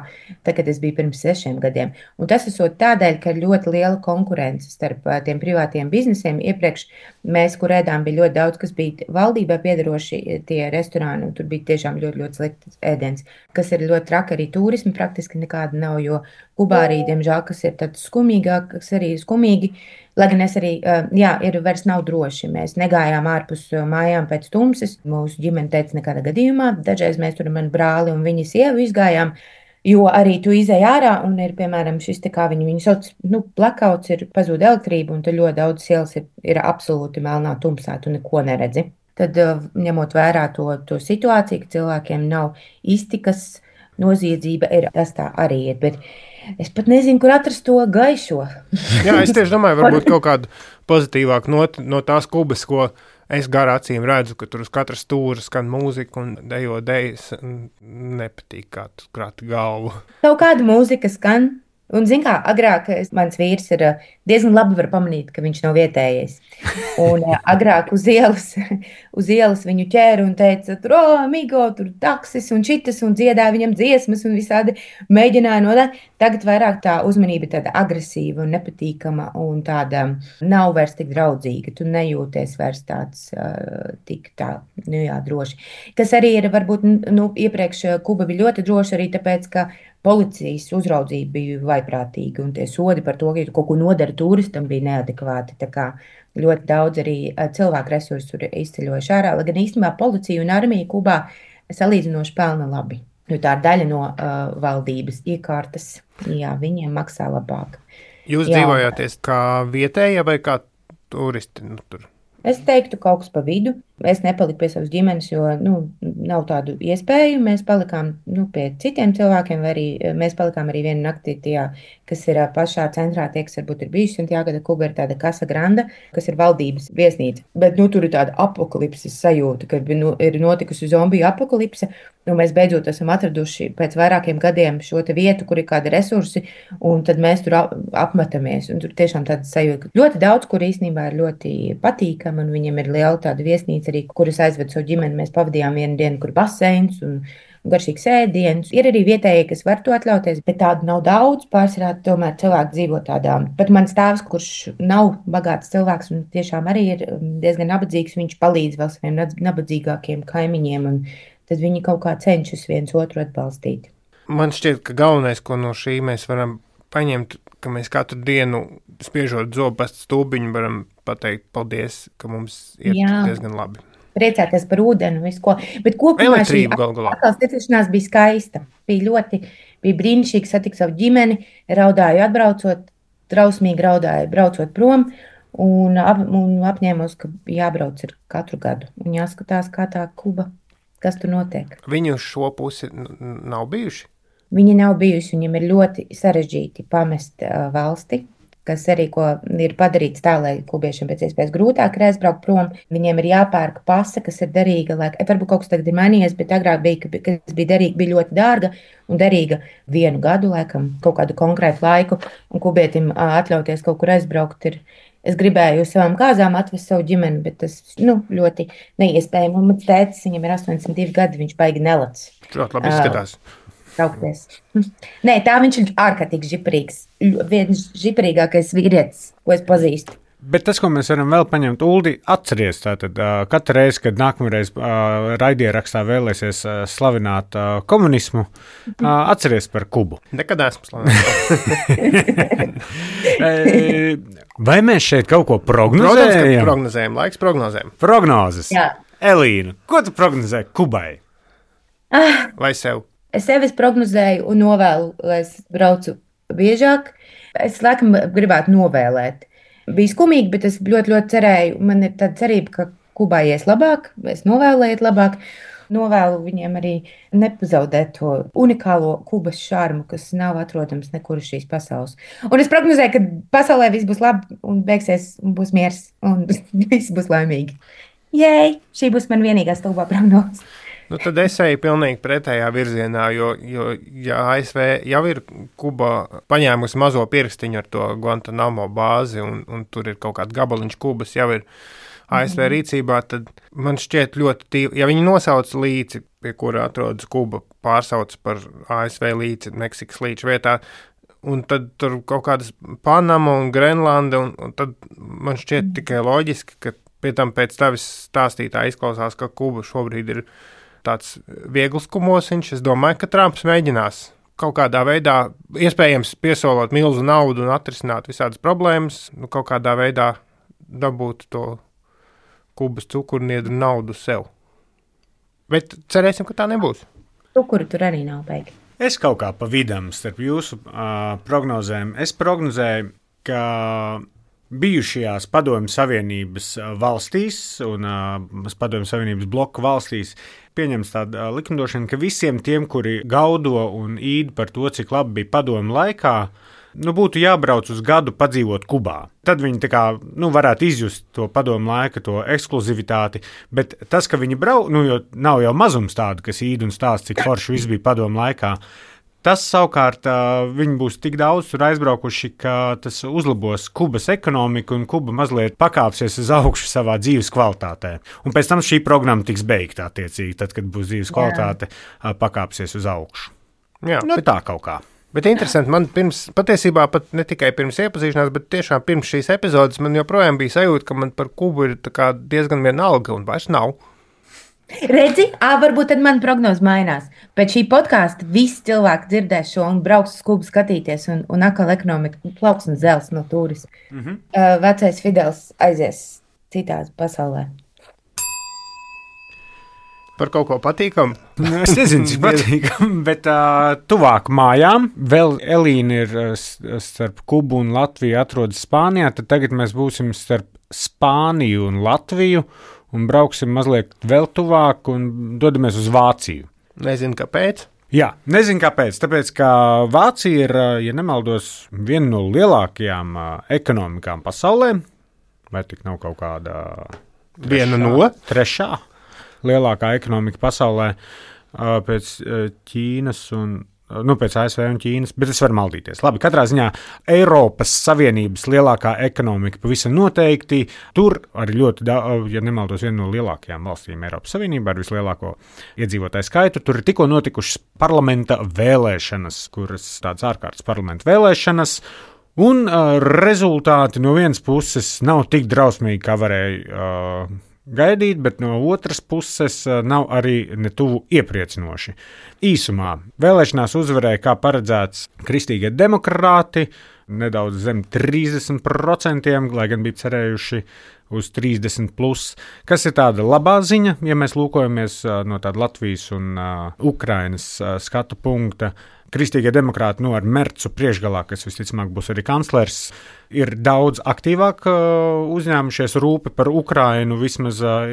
tad, kad es biju pirms sešiem gadiem. Un tas esot tādēļ, ka ir ļoti liela konkurence starp uh, tiem privātiem biznesiem. Iepriekš mēs, kur ēdām, bija ļoti daudz, kas bija valdībā piedaroši tie restorāni, un tur bija tiešām ļoti, ļoti slikts ēdiens, kas ir ļoti traki arī turismi, praktiski nekāda nav, jo Kubā arī, diemžēl, kas ir tāds skumīgāk, kas arī ir skumīgi, lai gan es arī, jā, ir vairs nav droši. Mēs negājām ārpus mājām pēc tumses. Mūsu ģimene teica nekādā gadījumā. Dažreiz mēs tur mani brāli un viņa sievu izgājām, jo arī tu izēj ārā un ir, piemēram, šis te kā viņi, viņi sauc, nu, blackouts, ir pazūd elektrība un tad ļoti daudz ielas ir, ir absolūti melnā tumsā, tu neko neredzi. Tad, ņemot vērā to, to situāciju, ka cilvēkiem nav iztikas, noziedzība ir, tas tā arī ir, bet es pat nezinu, kur atrast to gaišo. Jā, es tieši domāju, varbūt kaut kādu pozitīvāku not, no tās Kubas, ko es garā acīm redzu, ka tur uz katras stūra skan mūzika un dejo dejas, nepatīk kā tu krati galvu. Kaut kāda mūzika skan. Un, zin kā, agrāk mans vīrs ir diezgan labi var pamanīt, ka viņš nav vietējais. Un agrāk uz ielas, uz ielas viņu ķēra un teica, tur, o, amigo, tur taksis un šitas, un dziedāja viņam dziesmas un visādi mēģināja no tā. Tagad vairāk tā uzmanība tāda agresīva un nepatīkama un tāda nav vairs tik draudzīga. Tu nejūties vairs tāds uh, tik tā, nu jā, droši. Kas arī ir, varbūt, nu, iepriekš Kuba bija ļoti droši arī tāpēc, ka policijas uzraudzība bija vaiprātīga, un tie sodi par to, ka tu kaut ko nodari turistam, bija neadekvāti. Tā kā ļoti daudz arī cilvēku resursu tur izceļojuši ārā, lai gan īstenībā policija un armija Kubā salīdzinoši pelna labi. Jo tā ir daļa no uh, valdības iekārtas, jā, viņiem maksā labāk. Jūs jā. Dzīvojāties kā vietējie vai kā turisti? Nu, tur? Es teiktu kaut kas pa vidu. Es nepaliku pie savas ģimenes, jo nu, nav tādu iespēju. Mēs palikām nu, pie citiem cilvēkiem, vai arī mēs palikām arī vienu nakti tajā, kas ir pašā centrā, tie, kas varbūt ir bijuši Santiago de Cuba, ir tāda Casa Grande, kas ir valdības viesnīca. Bet nu, tur ir tāda apokalipses sajūta, ka nu, ir notikusi zombiju apokalipse, un mēs beidzot esam atraduši pēc vairākiem gadiem šo te vietu, kur ir kādi resursi, un tad mēs tur apmetamies. Un tur tiešām tāda sajūta, ka ļoti daudz, kur īstenībā ir ļoti patīkami, un viņiem ir liela tāda viesnīca arī, kuras aizved savu ģimeni. Mēs pavadījām vienu dienu, kur baseins un garšīgs ēdiens. Ir arī vietējie, kas var to atļauties, bet tādu nav daudz. Pārsvarā tomēr cilvēki dzīvo tādā. Pat mans tēvs, kurš nav bagāts cilvēks un tiešām arī ir diezgan nabadzīgs, viņš palīdz vēl saviem nabadzīgākiem kaimiņiem, un tad viņi kaut kā cenšas viens otru atbalstīt. Man šķiet, ka galvenais, ko no šī mēs varam paņemt, ka mēs katru dienu spiežot zobu pēc stūbiņu varam pateikt paldies, ka mums ir Jā. Diezgan labi. Priecāties par ūdeni un visu ko. Bet kopumā šī atkal tikšanās bija skaista. Bija ļoti, bija brīnišķīgi satikt savu ģimeni, raudāju atbraucot, trausmīgi raudāju braucot prom un, ap, un apņēmos, ka jābrauc ir katru gadu un jāskatās, kā tā Kuba, kas tur notiek. Viņi uz šo pusi nav bijuši? Viņi nav bijuši, viņiem ir ļoti sarežģīti pamest uh, valsti, kas arī ko ir padarīts tā, lai kubiešiem pēc iespējas grūtāk ir aizbraukt prom. Viņiem ir jāpērk pase, kas ir derīga, lai, varbūt kaut kas tagad ir mainījies, bet agrāk bija, kas bija derīga, bija ļoti dārga un derīga vienu gadu, laikam, kaut kādu konkrētu laiku, un kubietim uh, atļauties kaut kur aizbraukt ir. Es gribēju uz savām kāzām atvest savu ģimeni, bet tas nu, ļoti neiespējami. Un mans tētis, viņam ir astoņdesmit divi gadi, viņš baigi nelats. Ļoti labi izskatās. Uh, Traukties. Nē, tā viņš ir ārkārtīgi žiparīgs. Viens žiparīgākais vīrietis, ko es pazīstu. Bet tas, ko mēs varam vēl paņemt, Uldi, atceries, tātad uh, katru reizi, kad nākamreiz uh, raidierakstā vēlēsies uh, slavināt uh, komunismu, uh, atceries par Kubu. Nekad esmu slavināt. Vai mēs šeit kaut ko prognozējam? Protams, ka prognozējam, laiks prognozēm. Prognozes. Jā. Elīna, ko tu prognozē Kubai? Ah, Vai sev? es sevis prognozēju un novēlu, lai es braucu biežāk. Es laikam gribētu novēlēt. Bija skumīgi, bet es ļoti, ļoti cerēju. Man ir tāda cerība, ka Kubai ies labāk, es novēlu iet labāk. Novēlu viņiem arī nepazaudēt to unikālo Kubas šarmu, kas nav atrodams nekur uz šīs pasaules. Un es prognozēju, ka pasaulē viss būs labi un beigsies un būs miers un viss būs laimīgi. Jei, šī būs man vienīgā stulbā prognoze. Nu, tad es eju pilnīgi pretējā virzienā, jo, jo ja A S V jau ir Kuba paņēmusi mazo pirkstiņu ar to Guantanamo bāzi, un, un tur ir kaut kāds gabaliņš Kubas jau ir A S V rīcībā, tad man šķiet ļoti tīvi. Ja viņi nosauc līci, pie kura atrodas Kuba, pārsauc par A S V līci Meksikas līča vietā, un tad tur kaut kādas Panama un Grenlanda, un, un tad man šķiet tikai loģiski, ka pie tam pēc tavis stāstītā izklausās, ka Kuba šobrīd ir tāds viegls kumosiņš. Es domāju, ka Trumps mēģinās kaut kādā veidā, iespējams, piesolot milzu naudu un atrisināt visādas problēmas, nu, kaut kādā veidā dabūt to Kubas cukurniedru naudu sev. Bet cerēsim, ka tā nebūs. Cukuru tur arī nav beigi. Es kaut kā pa vidam starp jūsu uh, prognozēm. Es prognozēju, ka bijušajās Padomju Savienības valstīs un uh, Padomju Savienības bloku valstīs pieņems tāda uh, likumdošana, ka visiem tiem, kuri gaudo un īd par to, cik labi bija padomju laikā, nu, būtu jābrauc uz gadu padzīvot Kubā. Tad viņi tā kā, nu, varētu izjust to padomu laika, to ekskluzivitāti, bet tas, ka viņi brauc, nu, jo nav jau mazums tādu, kas īd un stāsta, cik forši viss bija padomu laikā, tas savukārt viņi būs tik daudz tur aizbraukuši, ka tas uzlabos Kubas ekonomiku un Kuba mazliet pakāpsies uz augšu savā dzīves kvalitātē. Un pēc tam šī programma tiks beigta attiecīgi, tad, kad būs dzīves kvalitāte pakāpsies uz augšu. Jā, nu, bet, tā kaut kā. Bet interesanti, man pirms, patiesībā pat ne tikai pirms iepazīšanās, bet tiešām pirms šīs epizodes man joprojām bija sajūta, ka man par Kubu ir tā kā diezgan vienalga un vairs nav. Redzi, ā, varbūt tad man prognoze mainās. Pēc šī podkāsta visi cilvēki dzirdēs šo un brauks uz Kubu skatīties, un, un atkal ekonomika plauks un zels no turisma. Mm-hmm. Uh, vecais Fidels aizies citās pasaulē. Par kaut ko patīkamu? Es nezinu, cik patīkam, bet uh, tuvāk mājām. Vēl Elīna ir uh, starp Kubu un Latviju atrodas Spānijā, tad tagad mēs būsim starp Spāniju un Latviju. Un brauksim mazliet vēl tuvāk un dodamies uz Vāciju. Nezinu, kāpēc. Jā, nezinu, kāpēc. Tāpēc, ka Vācija ir, ja nemaldos, viena no lielākajām ekonomikām pasaulē. Vai tik nav kaut kāda trešā, viena no trešā lielākā ekonomika pasaulē pēc Ķīnas un nu, pēc A S V un Ķīnas, bet es varu maldīties. Labi, katrā ziņā Eiropas Savienības lielākā ekonomika pavisam noteikti. Tur arī ļoti, ja nemaldos, viena no lielākajām valstīm Eiropas Savienībā ar vislielāko iedzīvotāju skaitu. Tur ir tikko notikušas parlamenta vēlēšanas, kuras tādas ārkārtas parlamenta vēlēšanas, un uh, rezultāti no vienas puses nav tik drausmīgi, kā varēja uh, gaidīt, bet no otras puses nav arī netuvu iepriecinoši. Īsumā vēlēšanās uzvarēja, kā paredzēts, kristīgie demokrāti, nedaudz zem trīsdesmit procenti, lai gan bija cerējuši uz trīsdesmit plus, kas ir tāda labā ziņa, ja mēs lūkojamies no tāda Latvijas un uh, Ukrainas uh, skatu punkta. Kristīgie demokrāti, nu, ar Mercu priekšgalā, kas visticamāk būs arī kanclers, ir daudz aktīvāk uh, uzņēmušies rūpi par Ukrainu, vismaz uh,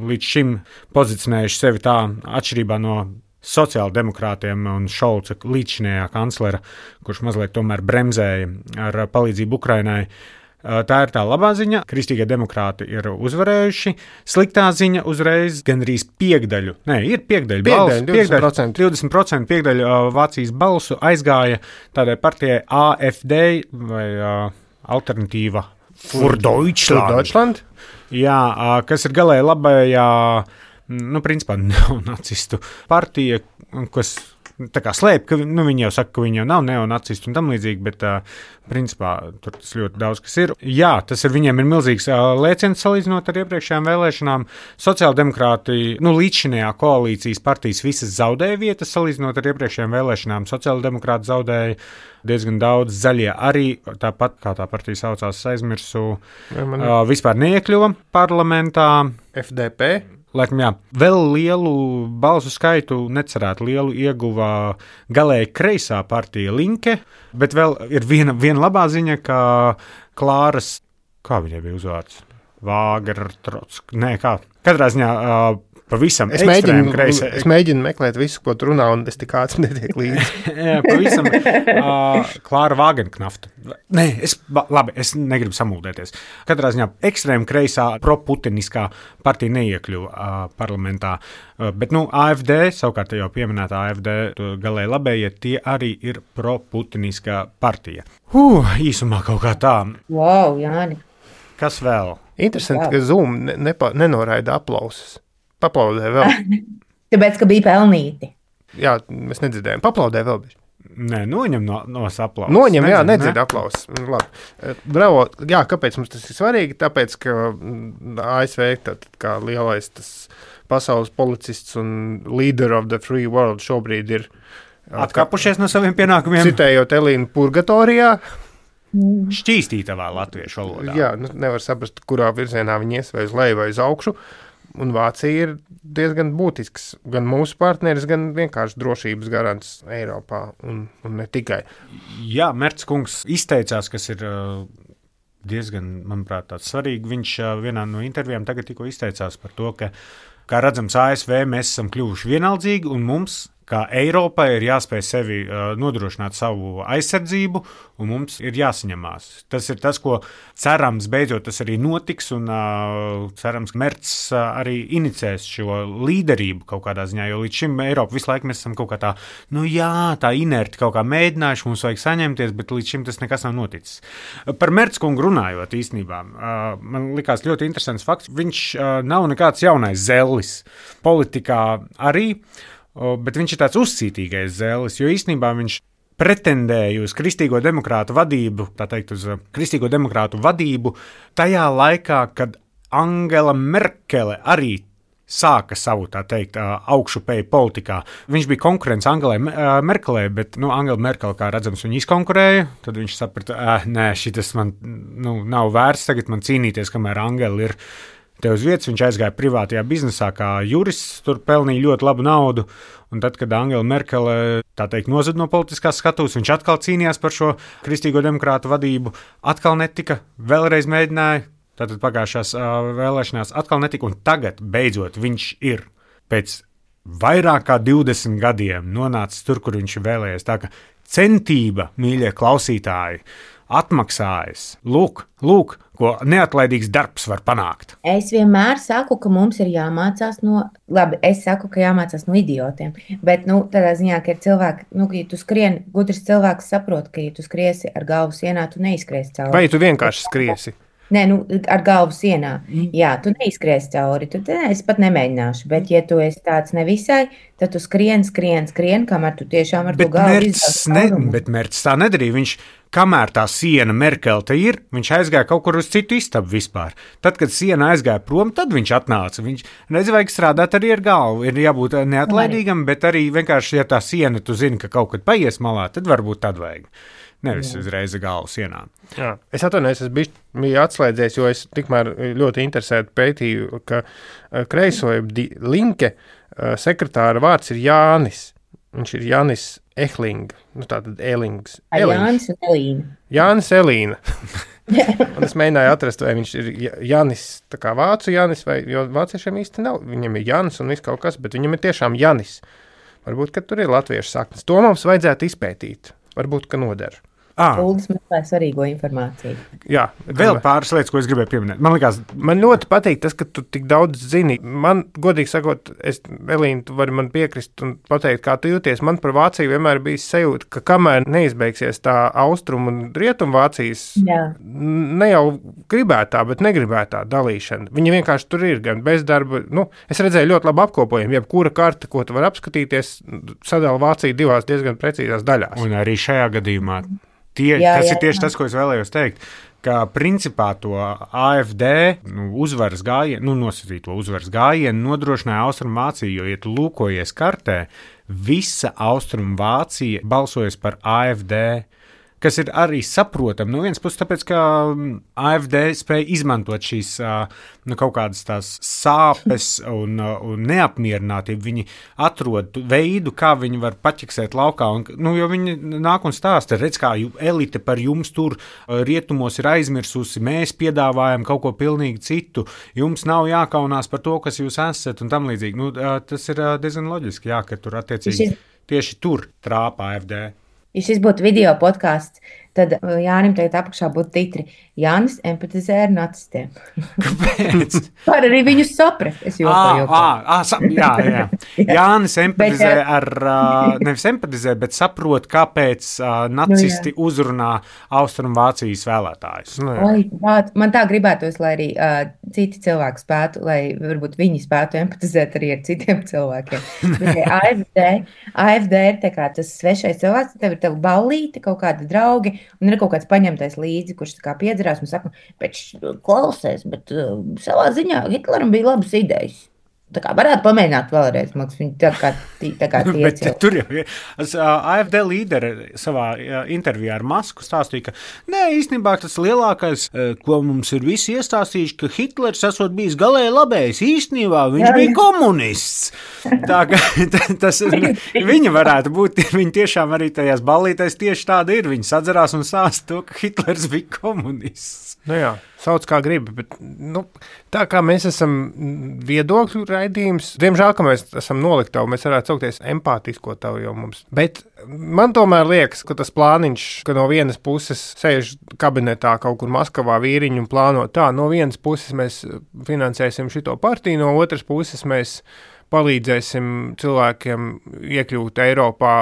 līdz šim pozicionējuši sevi tā atšķirībā no sociāldemokrātiem un Šolca līdzšinējā kanclera, kurš mazliet tomēr bremzēja ar palīdzību Ukrainai. Tā ir tā labā ziņa. Kristīgie demokrāti ir uzvarējuši. Sliktā ziņa uzreiz gandrīz piekdaļu, nē, ir piekdaļu balsu, divdesmit procenti. divdesmit procenti piekdaļu Vācijas balsu aizgāja tādai partijai A F D vai uh, alternatīva für Deutschland. Deutschland. Jā, uh, kas ir galēji labējā, nu, principā neonacistu partija, kas tā kā slēp, ka nu, viņi jau saka, ka viņi jau nav neonacisti un tam līdzīgi, bet uh, principā tur tas ļoti daudz kas ir. Jā, tas ir viņiem ir milzīgs uh, lēciens salīdzinot ar iepriekšējām vēlēšanām. Sociāldemokrāti, nu līdzšinējā koalīcijas partijas visas zaudēja vietas salīdzinot ar iepriekšējām vēlēšanām. Sociāldemokrāti zaudēja diezgan daudz, zaļie arī, tāpat kā tā partija saucās, aizmirsu, ja, man... uh, vispār neiekļuva parlamentā. F D P. Laikam, jā, vēl lielu balsu skaitu necerētu lielu ieguva galēji kreisā partija Linke, bet vēl ir viena, viena labā ziņa, ka Klāras, kā viņai bija uzvārds? Vāgertrotsk, nē, kā? Katrā ziņā uh, pavisam es mēģinu, kreisē. Es mēģinu meklēt visu, ko tu runā, un es tik ātri netiek līdzi. Jā, pavisam uh, Klāra Vāgenknafta. Nē, es, labi, es negribu samuldēties. Katrā ziņā ekstrēma kreisā proputiniskā partija neiekļuva uh, parlamentā. Uh, bet, nu, A F D, savukārt jau pieminētā A F D, galēji labējie, tie arī ir proputiniskā partija. Huh, īsumā kaut kā tā. Wow, Jāni. Kas vēl? Interesanti, wow. Ka Zoom ne, nepa, nenoraida aplausus. Paplaudē vēl. Tāpēc, ka bija pelnīti. Jā, mēs nedzirdējām. Paplaudē vēl bija. Nē, noņem no, no aplausus. Noņem, jā, nedzird ne? aplausus. Labi. Bravo, jā, kāpēc mums tas ir svarīgi? Tāpēc, ka A S V, tad, kā lielais tas pasaules policists un leader of the free world šobrīd ir atkāpušies no saviem pienākumiem. Citējot Elīnu purgatorijā. Šķīstītavā latviešu valodā. Jā, nu, nevar saprast, kurā virzienā viņi ies, vai uz leju, vai uz augšu. Un Vācija ir diezgan būtisks gan mūsu partneris, gan vienkārši drošības garants Eiropā, un, un ne tikai. Jā, Merts kungs izteicās, kas ir diezgan, manuprāt, tāds svarīgi. Viņš vienā no intervijām tagad tikko izteicās par to, ka, kā redzams, A S V mēs esam kļuvuši vienaldzīgi, un mums, kā Eiropai, ir jāspēj sevi uh, nodrošināt savu aizsardzību, un mums ir jāsaņemās. Tas ir tas, ko cerams beidzot tas arī notiks, un uh, cerams, ka Merts uh, arī inicēs šo līderību kaut kādā ziņā, jo līdz šim Eiropa visu laiku mēs esam kaut kā tā, nu jā, tā inerti kaut kā mēģinājuši, mums vajag saņemties, bet līdz šim tas nekas nav noticis. Par Merts kungu runājot īstenībā, uh, man likās ļoti interesants fakts, viņš uh, nav nekāds jaunais zellis politikā arī, bet viņš ir tāds uzcītīgais zēlis, jo īstenībā viņš pretendēja uz kristīgo demokrātu vadību, tā teikt, uz kristīgo demokrātu vadību tajā laikā, kad Angela Merkele arī sāka savu, tā teikt, augšupēju politikā. Viņš bija konkurents Angelai Merkelei, bet, nu, Angela Merkele, kā redzams, viņu izkonkurēja, tad viņš saprata, eh, nē, šitas man, nu, nav vērts tagad man cīnīties, kamēr Angela ir te uz vietas. Viņš aizgāja privātajā biznesā kā jurists, tur pelnīja ļoti labu naudu, un tad, kad Angela Merkele, tā teikt, nozad no politiskās skatuves, viņš atkal cīnījās par šo kristīgo demokrātu vadību, atkal netika, vēlreiz mēģināja, tātad pagājušās uh, vēlēšanās atkal netika, un tagad, beidzot, viņš ir pēc vairāk kā divdesmit gadiem nonācis tur, kur viņš ir vēlējies. Tā ka centība, mīļie klausītāji, atmaksājas. Lūk, lūk, ko neatlaidīgs darbs var panākt. Es vienmēr saku, ka mums ir jāmācās no, labi, es saku, ka jāmācās no idiotiem, bet, nu, tādā ziņā, ka ir cilvēki, nu, ka ja tu skrien, gudrs cilvēks saprot, ka ja tu skriesi ar galvu sienā, tu neizskries cauri. Vai tu vienkārši skriesi? Nē, nu, ar galvu sienā. Jā, tu neizskries cauri, tu ne, es pat nemēģināšu, bet, ja tu esi tāds nevisai, tad tu skrien, skrien, skrien, kamēr tu tiešām ar bet to galvu izdās caurumu. Bet Merts tā nedarīja, viņš, kamēr tā siena Merkele te ir, viņš aizgāja kaut kur uz citu istabu vispār. Tad, kad siena aizgāja prom, tad viņš atnāca. Viņš, redz, vajag strādāt arī ar galvu, ir jābūt neatlaidīgam, bet arī vienkārši, ja tā siena, tu zini, ka kaut kad paies malā, tad varbūt tad vajag. Nevis uzreiz galvu sienā. Jā. Es atvainojos, es biju, biju atslēdzies, jo es tikmēr ļoti interesēti pētīju, ka kreisoja Linke sekretāra vārds ir Jānis. Viņš ir Jānis Ehling, nu tātad Elings. Jānis un Elīna. Jānis Elīna. Un es mēģināju atrast, vai viņš ir Jānis, tā kā vācu Jānis, vai, jo vāciešiem īsti nav. Viņam ir Jānis un viss kaut kas, bet viņam ir tiešām Jānis. Varbūt, ka tur ir latviešu saknes. To mums vajadzētu izpētīt. Varbūt, ka noder. Uldis meklē svarīgo informāciju. Jā, vēl pāris lietas, ko es gribēju pieminēt. Man liekas, man ļoti patīk tas, ka tu tik daudz zini. Man, godīgi sakot, es, Elīna, tu vari man piekrist un pateikt, kā tu jūties. Man par Vāciju vienmēr bija sajūta, ka kamēr neizbeigsies tā austrumu un rietumu Vācijas, Jā. ne jau gribētā, bet negribētā dalīšana. Viņa vienkārši tur ir gan bezdarba. Nu, es redzēju ļoti labu apkopojumu. Jebkura karte, ko tu vari apskatīties, sadala Vāciju divās diezgan precīzās daļās. Un arī šajā gadījumā tie, jā, tas jā, ir tieši jā. tas, ko es vēlējos teikt, ka principā to A F D nu, uzvaras gājienu, nu, nosacīto uzvaras gājienu nodrošināja Austrumvācija, jo, ja tu lūkojies kartē, visa Austrumvācija balsojas par A F D, kas ir arī saprotami. No vienas puses, tāpēc, ka A F D spēja izmantot šīs nu, kaut kādas tās sāpes un, un neapmierinātību. Viņi atrod veidu, kā viņi var paķiksēt laukā. Un, nu, jo viņi nāk un stāsta, redz, kā elite par jums tur rietumos ir aizmirsusi, mēs piedāvājam kaut ko pilnīgi citu, jums nav jākaunās par to, kas jūs esat un tam līdzīgi. Nu, tas ir diezgan loģiski, jā, ka tur attiecīgi tieši tur trāpa A F D. Ja šis būtu video podkāsts, tad Jānim tagad apakšā būtu titri Jānis empatizē ar nacistiem. Kāpēc? Var arī viņus saprast. Es jokoju. Jā, jā. Jānis empatizē bet, ar, nevis empatizē, bet saprot, kāpēc nacisti nu, uzrunā Austrumvācijas vēlētājus. Nu, Oi, man tā gribētos, lai arī uh, citi cilvēki spētu, lai varbūt viņi spētu empatizēt arī ar citiem cilvēkiem. Bet A F D, A F D ir tā kā tas svešais cilvēks, tev ir tev ballīte, kaut kādi draugi, un ir kaut kāds paņemtais līdzi, kurš tā kā piedzerās un saka, bet klausies, bet uh, savā ziņā Hitleram bija labas idejas. Tā kā varētu pamēģināt vēlreiz, man liekas, viņi tā kā, tā kā tiecil. Tur jau ir. A F D līderi savā intervijā ar Masku stāstīja, ka nē, īstenībā tas lielākais, ko mums ir visi iestāstījuši, ka Hitlers esot bijis galēji labējs, īstenībā viņš jā, bija komunists. Tā kā tas, viņa varētu būt, viņa tiešām arī tajās ballītēs tieši tāda ir. Viņa sadzerās un stāsta to, ka Hitlers bija komunists. Nu jā, sauc kā gribi, bet nu, tā kā mēs esam viedokļu raidījums, diemžēl, ka mēs esam noliktavu, mēs varētu saukties empātisko tavu jau mums. Bet man tomēr liekas, ka tas plāniņš, ka no vienas puses sēž kabinetā kaut kur Maskavā vīriņu un plāno tā, no vienas puses mēs finansēsim šito partiju, no otras puses mēs palīdzēsim cilvēkiem iekļūt Eiropā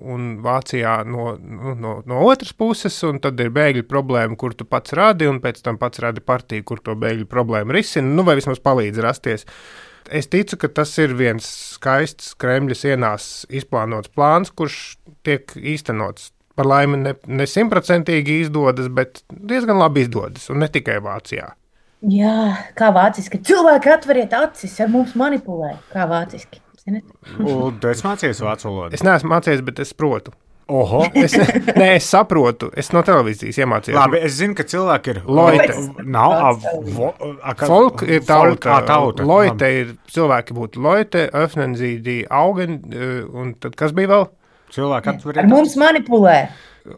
un Vācijā no, no, no otras puses, un tad ir bēgļu problēma, kur tu pats radi, un pēc tam pats radi partiju, kur to bēgļu problēmu risina, nu vai vismaz palīdz rasties. Es ticu, ka tas ir viens skaists Kremļa sienās izplānots plāns, kurš tiek īstenots. Par laimi ne, ne simtprocentīgi izdodas, bet diezgan labi izdodas, un ne tikai Vācijā. Jā, kā vāciski. Cilvēki atveriet acis, ar mums manipulē. Kā vāciski. Un tu esi mācījies vācu valodu? Es neesmu mācījies, bet es protu. Oho. Es, nē, es saprotu. Es no televīzijas iemācījos. Labi, es zinu, ka cilvēki ir... Loite. Nav, a, vo, a, ka, Folk ir tauta. Folk, a, tauta. Loite ir, cilvēki būtu Loite, öffnen sie die Augen, un tad kas bija vēl? Cilvēki atveriet. Ar mums manipulē.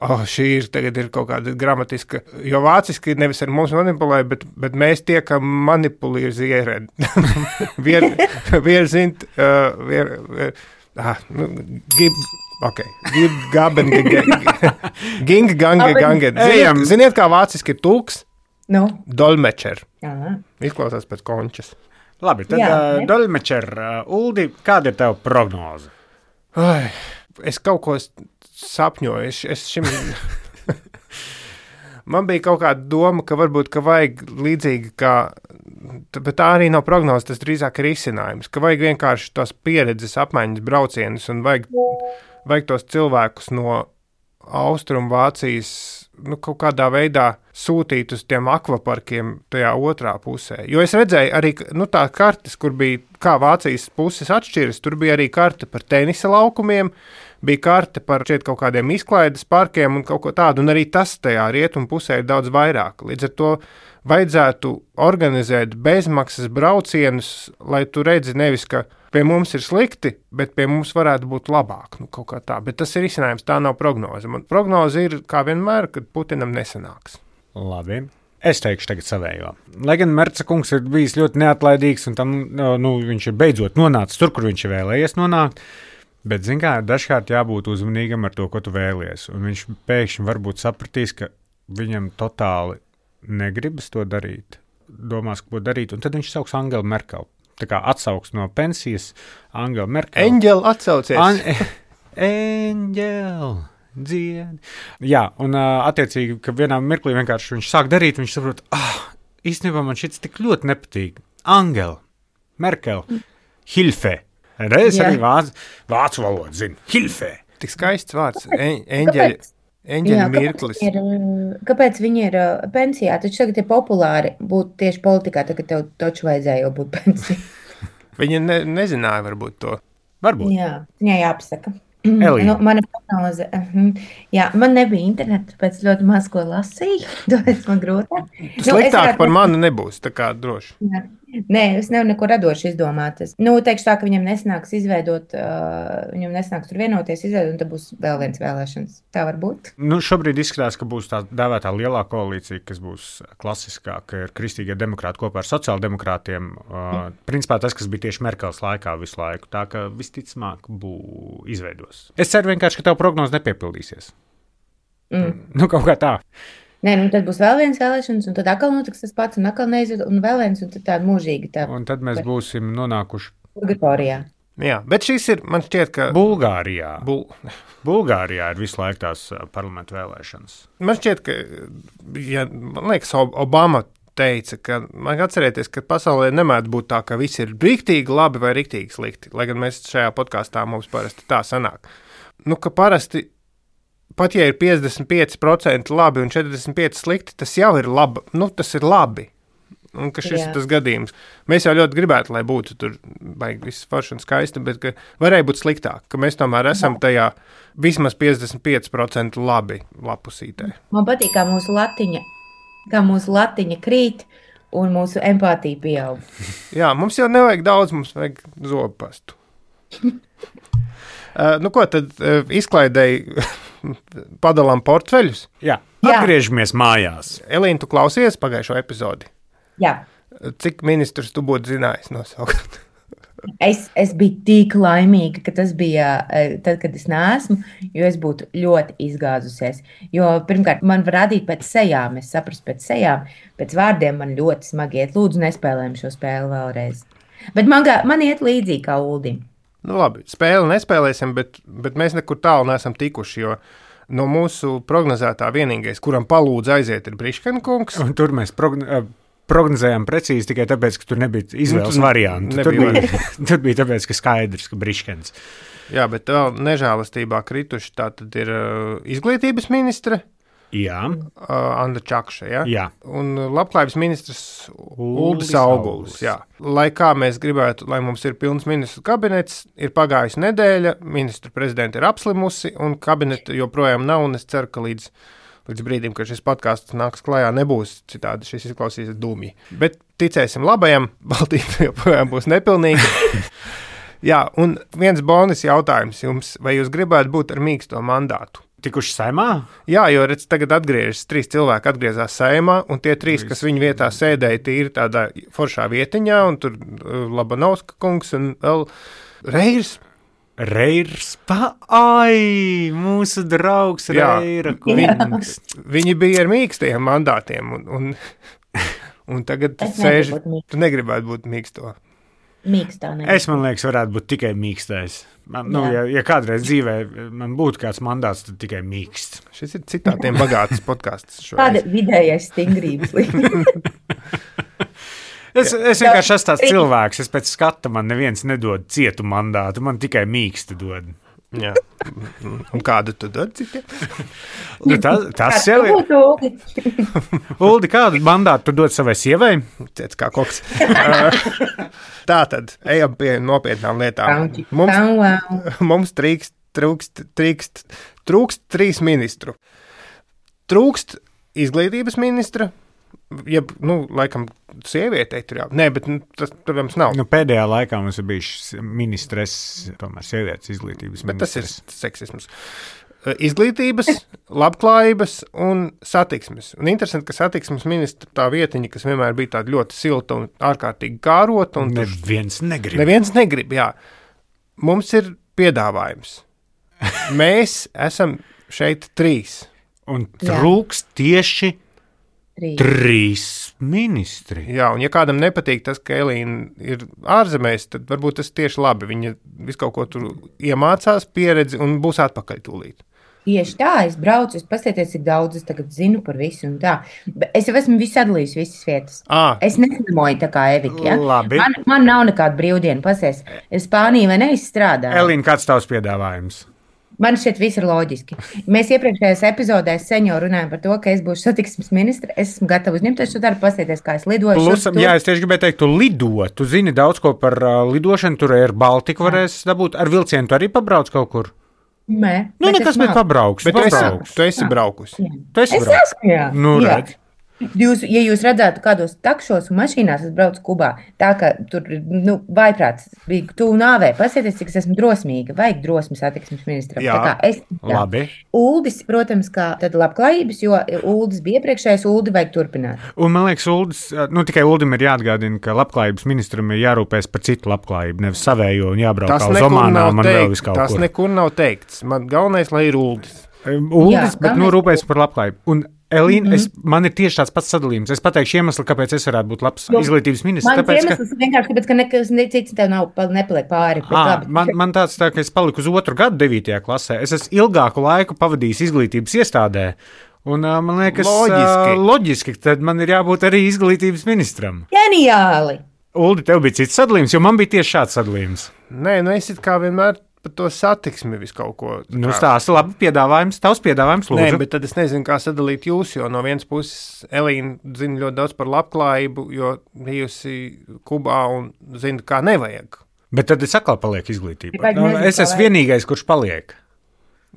Oh, šī ir, tagad ir kaut kāda gramatiska, jo vāciski nevis ar mums manipulē, bet, bet mēs tiekam manipulizieren. wir, wir sind, uh, wir, wir, ah, nu, gib, ok, gib, gaben, ging, gange, gange. Ziniet, ziniet, kā vāciski ir tulks? No. Dolmečer. Jā. Izklausās pēc končas. Labi, tad Jā, uh, Dolmečer, uh, Uldi, kāda ir tev prognoze? Ai, es kaut ko sapņoju. Es, es šim... Man bija kaut kāda doma, ka varbūt ka vajag līdzīgi kā, bet tā arī nav prognoze, tas drīzāk ir risinājums, ka vajag vienkārši tos pieredzes apmaiņas braucienus un vajag, vajag tos cilvēkus no Austrumvācijas nu, kaut kādā veidā sūtīt uz tiem akvaparkiem tajā otrā pusē. Jo es redzēju arī nu, tā kartes, kur bija kā Vācijas puses atšķiras, tur bija arī karte par tenisa laukumiem, bija karte par šeit kaut kādiem izklaides parkiem un kaut ko tādu, un arī tas tajā rietumu pusē ir daudz vairāk. Līdz ar to vajadzētu organizēt bezmaksas braucienus, lai tu redzi nevis, ka pie mums ir slikti, bet pie mums varētu būt labāk, nu kaut kā tā. Bet tas ir izcinājums, tā nav prognoze. Man prognoze ir, kā vienmēr, kad Putinam nesanāks. Labi. Es teikšu tagad savējo. Lai gan Merca kungs ir bijis ļoti neatlaidīgs un tam, nu, viņš ir beidzot nonācis tur, kur viņš ir vēlējies nonākt, Bet, zin kā, dažkārt jābūt uzmanīgam ar to, ko tu vēlies. Un viņš pēkšņi varbūt sapratīs, ka viņam totāli negribas to darīt, domās, ko darīt, un tad viņš sauks Angelu Merkeli. Tā kā atsauks no pensijas Angela Merkeli. Eņģeli atsaucies. An Eņģeli, dziedi. Jā, un uh, attiecīgi, ka vienā mirklī vienkārši viņš sāk darīt, viņš saprot, ah, īstenībā man šits tik ļoti nepatīk. Angela Merkeli, Hilfe. Reiz arī vācu, vācu valodu zinu. Hilfe. Tik skaists vārds. Eņģeļi. Eņģeļa mirklis. Kāpēc viņi ir, kāpēc viņi ir pensijā? Taču tagad ir populāri būt tieši politikā, tagad tev taču vajadzēja jau būt pensijā. Viņa ne, nezināja varbūt to. Varbūt. Jā, viņai jāpasaka. Elīna. Nu, mana prognoze. Jā, man nebija interneta, tāpēc ļoti maz ko lasīju. Tāpēc man grūtāk. Tu sliktāk nu, par mani nebūs, tā kā droši. Jā. Nē, es nevaru neko radoši izdomāt. Es, nu, teikšu tā, ka viņam nesnāks izveidot, uh, viņam nesnāks tur vienoties, izveidot, un tad būs vēl viens vēlēšanas. Tā var būt. Nu, šobrīd izskatās, ka būs tā dēvētā lielā koalīcija, kas būs klasiskā, ka ir kristīgie demokrāti kopā ar sociāldemokrātiem. Uh, principā tas, kas bija tieši Merkels laikā visu laiku. Tā ka visticamāk būs izveidos. Es ceru vienkārši, ka tev prognoze nepiepildīsies. Mm. Nu, kaut kā tā. Nē, nu tad būs vēl viens vēlēšanas, un tad atkal notiks tas pats, un atkal neizved, un vēl viens, un tad tāda mūžīga tā. Un tad mēs būsim nonākuši Purgatorijā. Jā, bet šis ir, man šķiet, ka Bulgārijā. Bul... Bulgārijā ir visu laiku tās parlamentu vēlēšanas. Man šķiet, ka, ja, man liekas, Obama teica, ka, man atcerēties, ka pasaulē nemēdz būt tā, ka visi ir riktīgi labi vai riktīgi slikti, lai gan mēs šajā podkāstā mums parasti tā sanāk. Nu, ka parasti pat ja ir piecdesmit pieci procenti labi un četrdesmit pieci slikti, tas jau ir labi. Nu, tas ir labi. Un ka šis Jā. ir tas gadījums. Mēs jau ļoti gribētu, lai būtu tur baigi viss forši un skaisti, bet ka varēja būt sliktāk, ka mēs tomēr esam tajā vismaz piecdesmit pieci procenti labi lapusītē. Man patīk, kā mūsu latiņa, kā mūsu latiņa krīt un mūsu empātija pieaug. Jā, mums jau nevajag daudz, mums vajag zobastu. uh, nu ko, tad uh, izklaidēji padalām portfeļus. Jā, atgriežamies Jā. mājās. Elīna, tu klausies pagājušo epizodi? Jā. Cik ministrus tu būtu zinājis nosaukt? es, es biju tik laimīga, ka tas bija tad, kad es neesmu, jo es būtu ļoti izgāzusies. Jo pirmkārt, man var radīt pēc sejām, es saprastu pēc sejām, pēc vārdiem man ļoti smagi iet. Lūdzu, nespēlējam šo spēli vēlreiz. Bet man, man iet līdzīgi kā Uldim. Nu labi, spēli nespēlēsim, bet, bet mēs nekur tālu neesam tikuši, jo no mūsu prognozētā vienīgais, kuram palūdz aiziet, ir Briškena kungs. Un tur mēs progn- prognozējām precīzi tikai tāpēc, ka tur nebija izvēles nu, variantu. Tur bija, tur bija tāpēc, ka skaidrs, ka Briškens. Jā, bet vēl nežēlastībā krituši tā tad ir uh, izglītības ministre. Jā. Uh, Anda Čakša, ja? Jā. Un labklājības ministrs Uldis Auguls, jā. Lai kā mēs gribētu, lai mums ir pilns ministru kabinets, ir pagājusi nedēļa, ministru prezidenta ir apslimusi, un kabineta joprojām nav, un es ceru, ka līdz, līdz brīdim, kad šis podcasts nāks klajā, nebūs citādi, šis izklausīsies dūmji. Bet ticēsim labajam, Baltība joprojām būs nepilnīga. Jā, un viens bonus jautājums jums, vai jūs gribētu būt ar mīksto mandātu? Tikuši saimā? Jā, jo redz, tagad atgriežas, trīs cilvēki atgriezās saimā, un tie trīs, kas viņu vietā sēdēja, tīri tādā foršā vietiņā, un tur Labanovska kungs un vēl Reirs. Reirs, pa, ai, mūsu draugs Reira kungs. Viņi, viņi bija ar mīkstiem mandātiem, un, un, un tagad sēž, tu negribētu būt mīksto. Mīkstā, es, man liekas, varētu būt tikai mīkstais. Man, nu, ja, ja kādreiz dzīvē man būtu kāds mandāts, tad tikai mīksts. Šis ir citātiem bagāts podcasts. Kāda vidējais stingrības līmenis? es, es vienkārši esmu tāds cilvēks, es pēc skata man neviens nedod cietu mandātu, man tikai mīkstu dod. Jā. Un kādu tu dod citiem? Nu, tas, tas jau ir. Uldi, kādu mandātu tu dod savai sievai? Ciets kā koks. Tā tad, ejam pie nopietnām lietām. Mums, mums trīkst, trūkst, trīkst, trūkst trīs ministru. Trūkst izglītības ministra, jeb, nu, laikam, sievietei tur jau. Nē, bet nu, tas, protams, nav. Nu, pēdējā laikā mums ir bijušas ministres, tomēr sievietes izglītības bet ministres. Tas ir seksisms. Izglītības, labklājības un satiksmes. Un interesanti, ka satiksmes ministra tā vietiņa, kas vienmēr bija tāda ļoti silta un ārkārtīgi kārota. Un neviens negrib. Neviens negrib, jā. Mums ir piedāvājums. Mēs esam šeit trīs. Un trūks tieši trīs. trīs ministri. Jā, un ja kādam nepatīk tas, ka Elīna ir ārzemēs, tad varbūt tas tieši labi. Viņa visu kaut ko tur iemācās, pieredzi un būs atpakaļ tūlīt. Tieši tā, es braucu, es paskatieties, cik daudz es tagad zinu par visu un tā. Bet es jau esmu visu sadalījis, visas vietas. À. Es neslimoju tā kā Evika, ja? Labi. Man, man nav nekāda brīvdiena, pasies. Es Spāniju vai neizstrādāju. Elīna, kāds tavs piedāvājums? Man šķiet viss ir loģiski. Mēs iepriekšējās epizodēs sen jau runājam par to, ka es būšu satiksmes ministre. Es esmu gatava uzņemties šo darbu, paskatieties, kā es lidoju. Plusam, jā, es tieši gribēju teikt, tu lido. Tu zini daudz ko par uh, lidošanu, tur ir Baltika varēs dabūt. Ar vilcienu tu arī pabrauc kaut kur? Nē. Nu, nekas, bet pabrauks. Bet tu esi, tu esi braukusi. Tu esi es brauc. esmu, jā. Nu, jā. redz. Jūs, ja jūs redzētu kādos takšos un mašīnās, es braucu Kubā, tā ka tur, nu, vaiprāts bija tuvu nāvē. Pasieties, cik es esmu drosmīga. Vajag drosmi satiksmes ministram. Jā, tā kā es, tā. Labi. Uldis, protams, kā tad labklājības, jo Uldis bija iepriekšējais, Uldi vajag turpināt. Un man liekas, Uldis, nu tikai Uldim ir jāatgādina, ka labklājības ministram ir jārūpēs par citu labklājību, nevis savējo un jābrauk Tas uz nekur Omānām nav un vēl teikts. vis kaut Tas kur. nekur nav teikts. Man galvenais, lai ir Uldis. Uldis, Jā, bet nu galvenais- rūpēs par labklājību. Un Elīna, mm -hmm. es, man ir tieši tāds pats sadalījums. Es pateikšu iemeslu, kāpēc es varētu būt labs Jo, izglītības ministrs. Mans Tāpēc, ka, iemesls ir vienkārši tāpēc, ka nekas cits tev nav, nepaliek pāri. bet à, labi. man, man tāds tā, ka es paliku uz otru gadu devītajā klasē. Es esmu ilgāku laiku pavadījis izglītības iestādē. Un uh, man liekas, Loģiski. uh, loģiski, tad man ir jābūt arī izglītības ministram. Ģeniāli! Uldi, tev bija cits sadalījums, jo man bija tieši šāds sadalījums. Nē, nu es it kā vienmēr par to satiksmi visu kaut ko. Nu, stāsti, labi, piedāvājums, tavs piedāvājums, Nē, lūdzu. bet tad es nezinu, kā sadalīt jūs, jo no vienas puses Elīna zina ļoti daudz par labklājību, jo bijusi Kubā un zina, kā nevajag. Bet tad es atkal palieku izglītībā. Vajag Nu, nezinu, es kā esmu vajag. vienīgais, kurš paliek.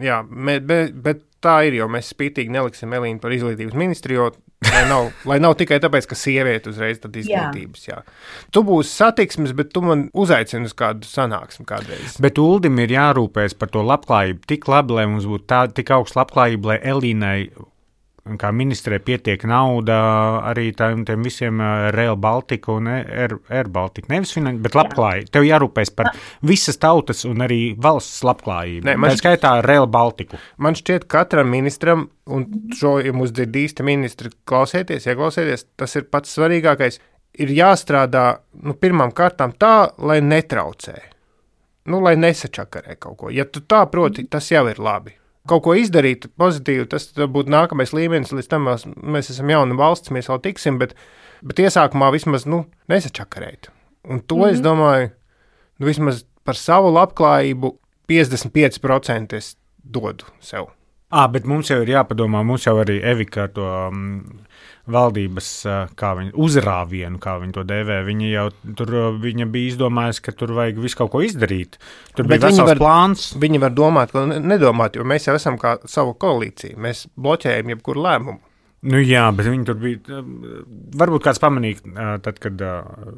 Jā, bet, bet, bet tā ir, jo mēs spītīgi neliksim Elīnu par izglītības ministru, jo lai nav, lai nav tikai tāpēc, ka sieviete uzreiz tad izglītības. Jā. Jā. Tu būsi satiksmes, bet tu man uzaicini uz kādu sanāksmi kādreiz. Bet Uldim ir jārūpēs par to labklājību tik labi, lai mums būtu tā, tik augsta labklājība, lai Elīnai, kā ministrē, pietiek nauda arī tām, tiem visiem uh, Rail Baltica un Air, Air Baltica. Nevis finanses, bet labklājība. Tev jārūpēs par visas tautas un arī valsts labklājību. Nē, man Tā skaitā Rail Baltiku. Man šķiet, katram ministram, un šo, ja mums ir īsti ministri, klausieties, ieklausieties, tas ir pats svarīgākais, ir jāstrādā, nu, pirmām kārtām tā, lai netraucē. Nu, lai nesačakarē kaut ko. Ja tu tā proti, tas jau ir labi. Kaut ko izdarīt pozitīvi, tas būtu nākamais līmenis, līdz tam mēs, mēs esam jauna valsts, mēs vēl tiksim, bet, bet iesākumā vismaz, nu, nesačakarēt. Un to, mm-hmm. es domāju, nu, vismaz par savu labklājību piecdesmit pieci procenti es dodu sev. À, bet mums jau ir jāpadomā, mums jau arī Evika ar to um, valdības kā viņa, uzrāvienu, kā viņa to dēvē. Viņa jau tur viņa bija izdomājusi, ka tur vajag visu kaut ko izdarīt. Tur Bet bija vesels var, plāns. Viņi var domāt, ko nedomāt, jo mēs jau esam kā savu koalīciju. Mēs bloķējam jebkuru lēmumu. Nu jā, bet viņi tur bija. Varbūt kāds pamanīja, tad, kad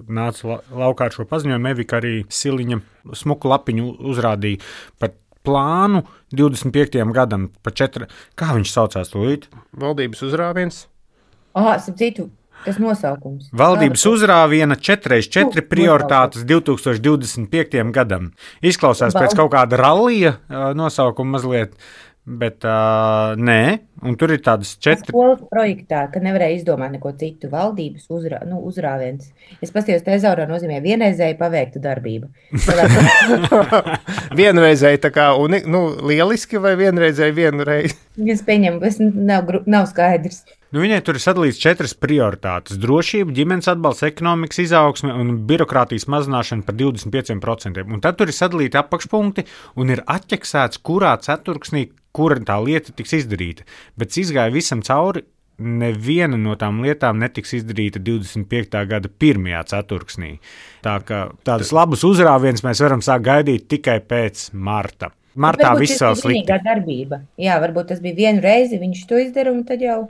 nāca la, laukā ar šo paziņojumu, Evika arī Siliņa smuku lapiņu uzrādīja par plānu divdesmit piektajam gadam, pa četri, kā viņš saucās tūlīt? Valdības uzrāviens. Ah, citu, tas nosaukums. Valdības uzrāviena četri reiz četri prioritātes divtūkstoš divdesmit piektajam gadam. Izklausās pēc kaut kāda rallija nosaukuma mazliet, bet uh, nē, un tur ir tādas četri. Skolas projektā, kad nevarēja izdomāt neko citu, valdības uzrā, nu, uzrāviens. Es paskatījos, tezaurā nozīmē vienreizēji paveikta darbība. Vienreizēji tā kā, un, nu, lieliski vai vienreizēji vienu reizi? Es pieņemu, tas nav, nav skaidrs. Nu, viņai tur ir sadalīts četras prioritātes - drošība, ģimenes atbalsts, ekonomikas izaugsme un birokrātijas mazināšana par divdesmit pieciem procentiem. Un tad tur ir sadalīti apakšpunkti un ir atķeksēts, kurā ceturksnī, kura tā lieta tiks izdarīta. Bet izgāja visam cauri, neviena no tām lietām netiks izdarīta divdesmit piektā gada pirmajā ceturksnī. Tā kā tādus labus uzrāvienus mēs varam sākt gaidīt tikai pēc marta. Martā viss vēl slikti. Tā bija darbība. Jā, varbūt tas bija vienu reizi, viņš to izdara un tad jau.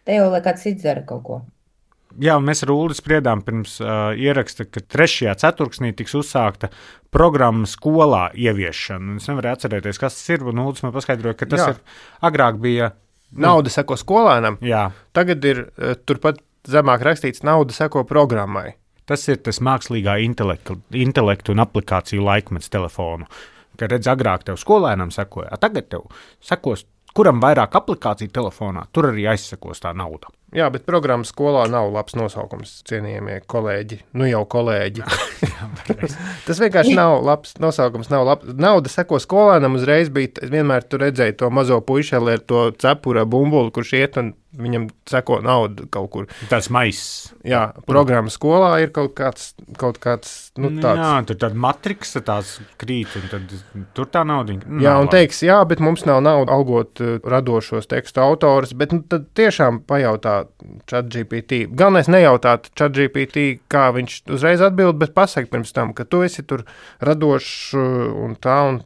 Te jau, lai kāds cits dara kaut ko. Jā, un mēs ar Uldi spriedām pirms uh, ieraksta, ka trešajā ceturksnī tiks uzsākta programma skolā ieviešana. Es nevaru atcerēties, kas tas ir, un Uldis man paskaidroja, ka tas Jā. ir agrāk bija. Nauda seko skolēnam. Jā. Tagad ir uh, turpat zemāk rakstīts, nauda seko programmai. Tas ir tas mākslīgā intelektu, intelektu un aplikāciju laikmets telefonu. Ka redz, agrāk tev skolēnam sekoja, a tagad tev sekos, kuram vairāk aplikāciju telefonā, tur arī aizsekos tā nauda. Jā, bet programmas skolā nav labs nosaukums, cienījamie kolēģi. Nu jau kolēģi. Tas vienkārši nav labs nosaukums. Nav labs. Nauda seko skolēnam uzreiz bija, vienmēr tu redzēji to mazo puišeli ar to cepura bumbuli, kurš iet un viņam seko naudu kaut kur. Tas maiss. Jā, programma skolā ir kaut kāds, kaut kāds, nu tāds. Jā, tur tāda matriksa tās krīt, un tad tur tā nauda. Jā, un teiks, jā, bet mums nav nauda algot uh, radošos tekstu autors, bet nu, tad tiešām pajautā ChatGPT. Galvenais nejautāt ChatGPT, kā viņš uzreiz atbild, bet pasaka pirms tam, ka tu esi tur radošs un tā, un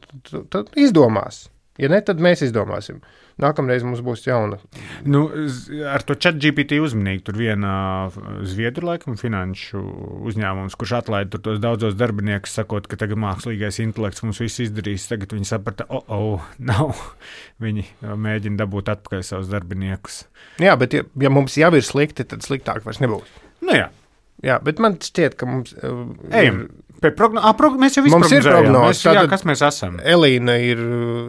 tad izdomās. Ja ne, tad mēs izdomāsim. Nākamreiz mums būs jauna. Nu, ar to ChatGPT uzmanīgi tur viena Zviedru laikam finanšu uzņēmums, kurš atlaida tur tos daudzos darbiniekus, sakot, ka tagad mākslīgais intelekts mums viss izdarīs. Tagad viņi saprata, o, oh, oh, nav. Viņi mēģina dabūt atpakaļ savus darbiniekus. Jā, bet ja, ja mums jau ir slikti, tad sliktāk vairs nebūs. Nu jā. Jā, bet man šķiet, ka mums uh, Ejam. Ir... Progno... A, prog... Mēs jau visu mums ir prognozes. Jā, kas mēs esam? Elīna ir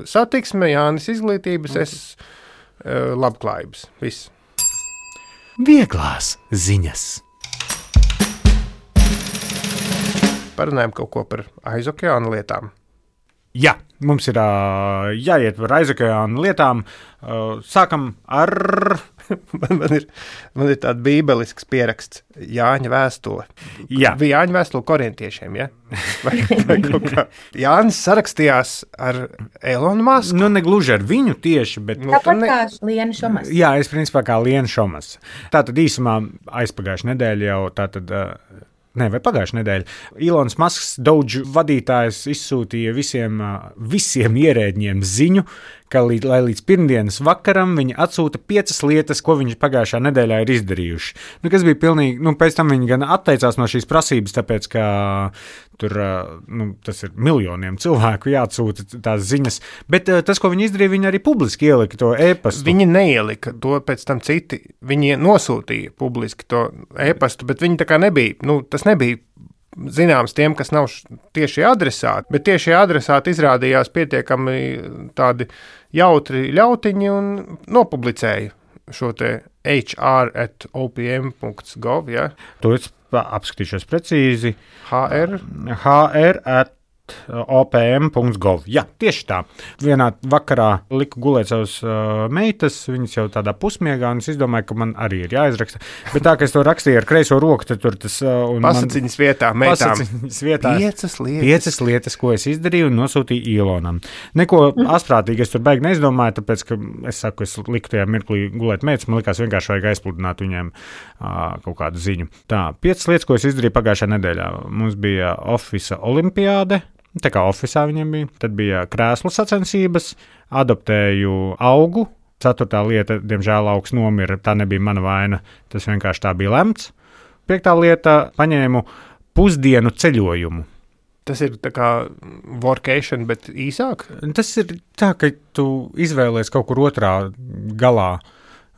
satiksme, Jānis izglītības, es uh, labklājības. Viss. Vieglās ziņas. Parunājam kaut ko par aizokeāna lietām. Jā, mums ir uh, jāiet par aizokeāna lietām. Uh, sākam ar... man, man, ir, man ir tāds bībelisks pieraksts Jāņa vēstule. Jā. Bija Jāņa vēstule korintiešiem, ja? Vai, vai kaut kā. Jānis sarakstījās ar Elonu Masku. Nu, ne gluži ar viņu tieši, bet... Nu, Tāpat ne... kā Liena Šomas. Jā, es principā kā Liena Šomas. Tātad īsumā aizpagājuši nedēļa jau tātad... Uh, Nē, vai pagājušā nedēļa. Ilons Masks, Doge vadītājs, izsūtīja visiem, visiem ierēdņiem ziņu, ka līdz, lai līdz pirmdienas vakaram viņi atsūta piecas lietas, ko viņi pagājušā nedēļā ir izdarījuši. Nu, kas bija pilnīgi, nu, pēc tam viņi gan atteicās no šīs prasības, tāpēc, ka tur, nu, tas ir miljoniem cilvēku jāatsūta tās ziņas, bet tas, ko viņi izdarīja, viņi arī publiski ielika to e-pastu. Viņi neielika to pēc tam citi, viņi nosūtīja publiski to e-pastu, bet viņi tā kā nebija, nu, tas nebija zināms tiem, kas nav tieši adresāti, bet tieši adresāti izrādījās pietiekami tādi jautri ļautiņi un nopublicēja šo te h r at o p m dot gov, ja? To es apskatīšos precīzi. hr? hr at o p m dot gov. Jā, tieši tā. Vienā vakarā liku gulēt savus uh, meitas, viņas jau tādā pusmiegā, un es izdomāju, ka man arī ir jāizraksta. Bet tā, ka es to rakstīju ar kreiso roku, tad tur tas... Uh, pasaciņas man, vietā, meitām. Pasaciņas vietā. Piecas lietas. Piecas lietas, ko es izdarīju un nosūtīju Ilonam. Neko mm. asprātīgi es tur beigi neizdomāju, tāpēc, ka es saku, es liku tajā mirklī gulēt meitas, man likās vienkārši vajag aizpludināt viņiem uh, kaut kādu ziņu. Tā, piecas lietas, ko es izdarīju pagājušā nedēļā. Mums bija Office olimpiāde. Tā kā oficiālā viņam bija, tad bija krēslu sacensības, adoptēju augu. Ceturtā lieta, diemžēl, augs nomira, tā nebija mana vaina, tas vienkārši tā bija lemts. Piektā lieta, paņēmu pusdienu ceļojumu. Tas ir tā kā workation, bet īsāk? Tas ir tā, ka tu izvēlies kaut kur otrā galā.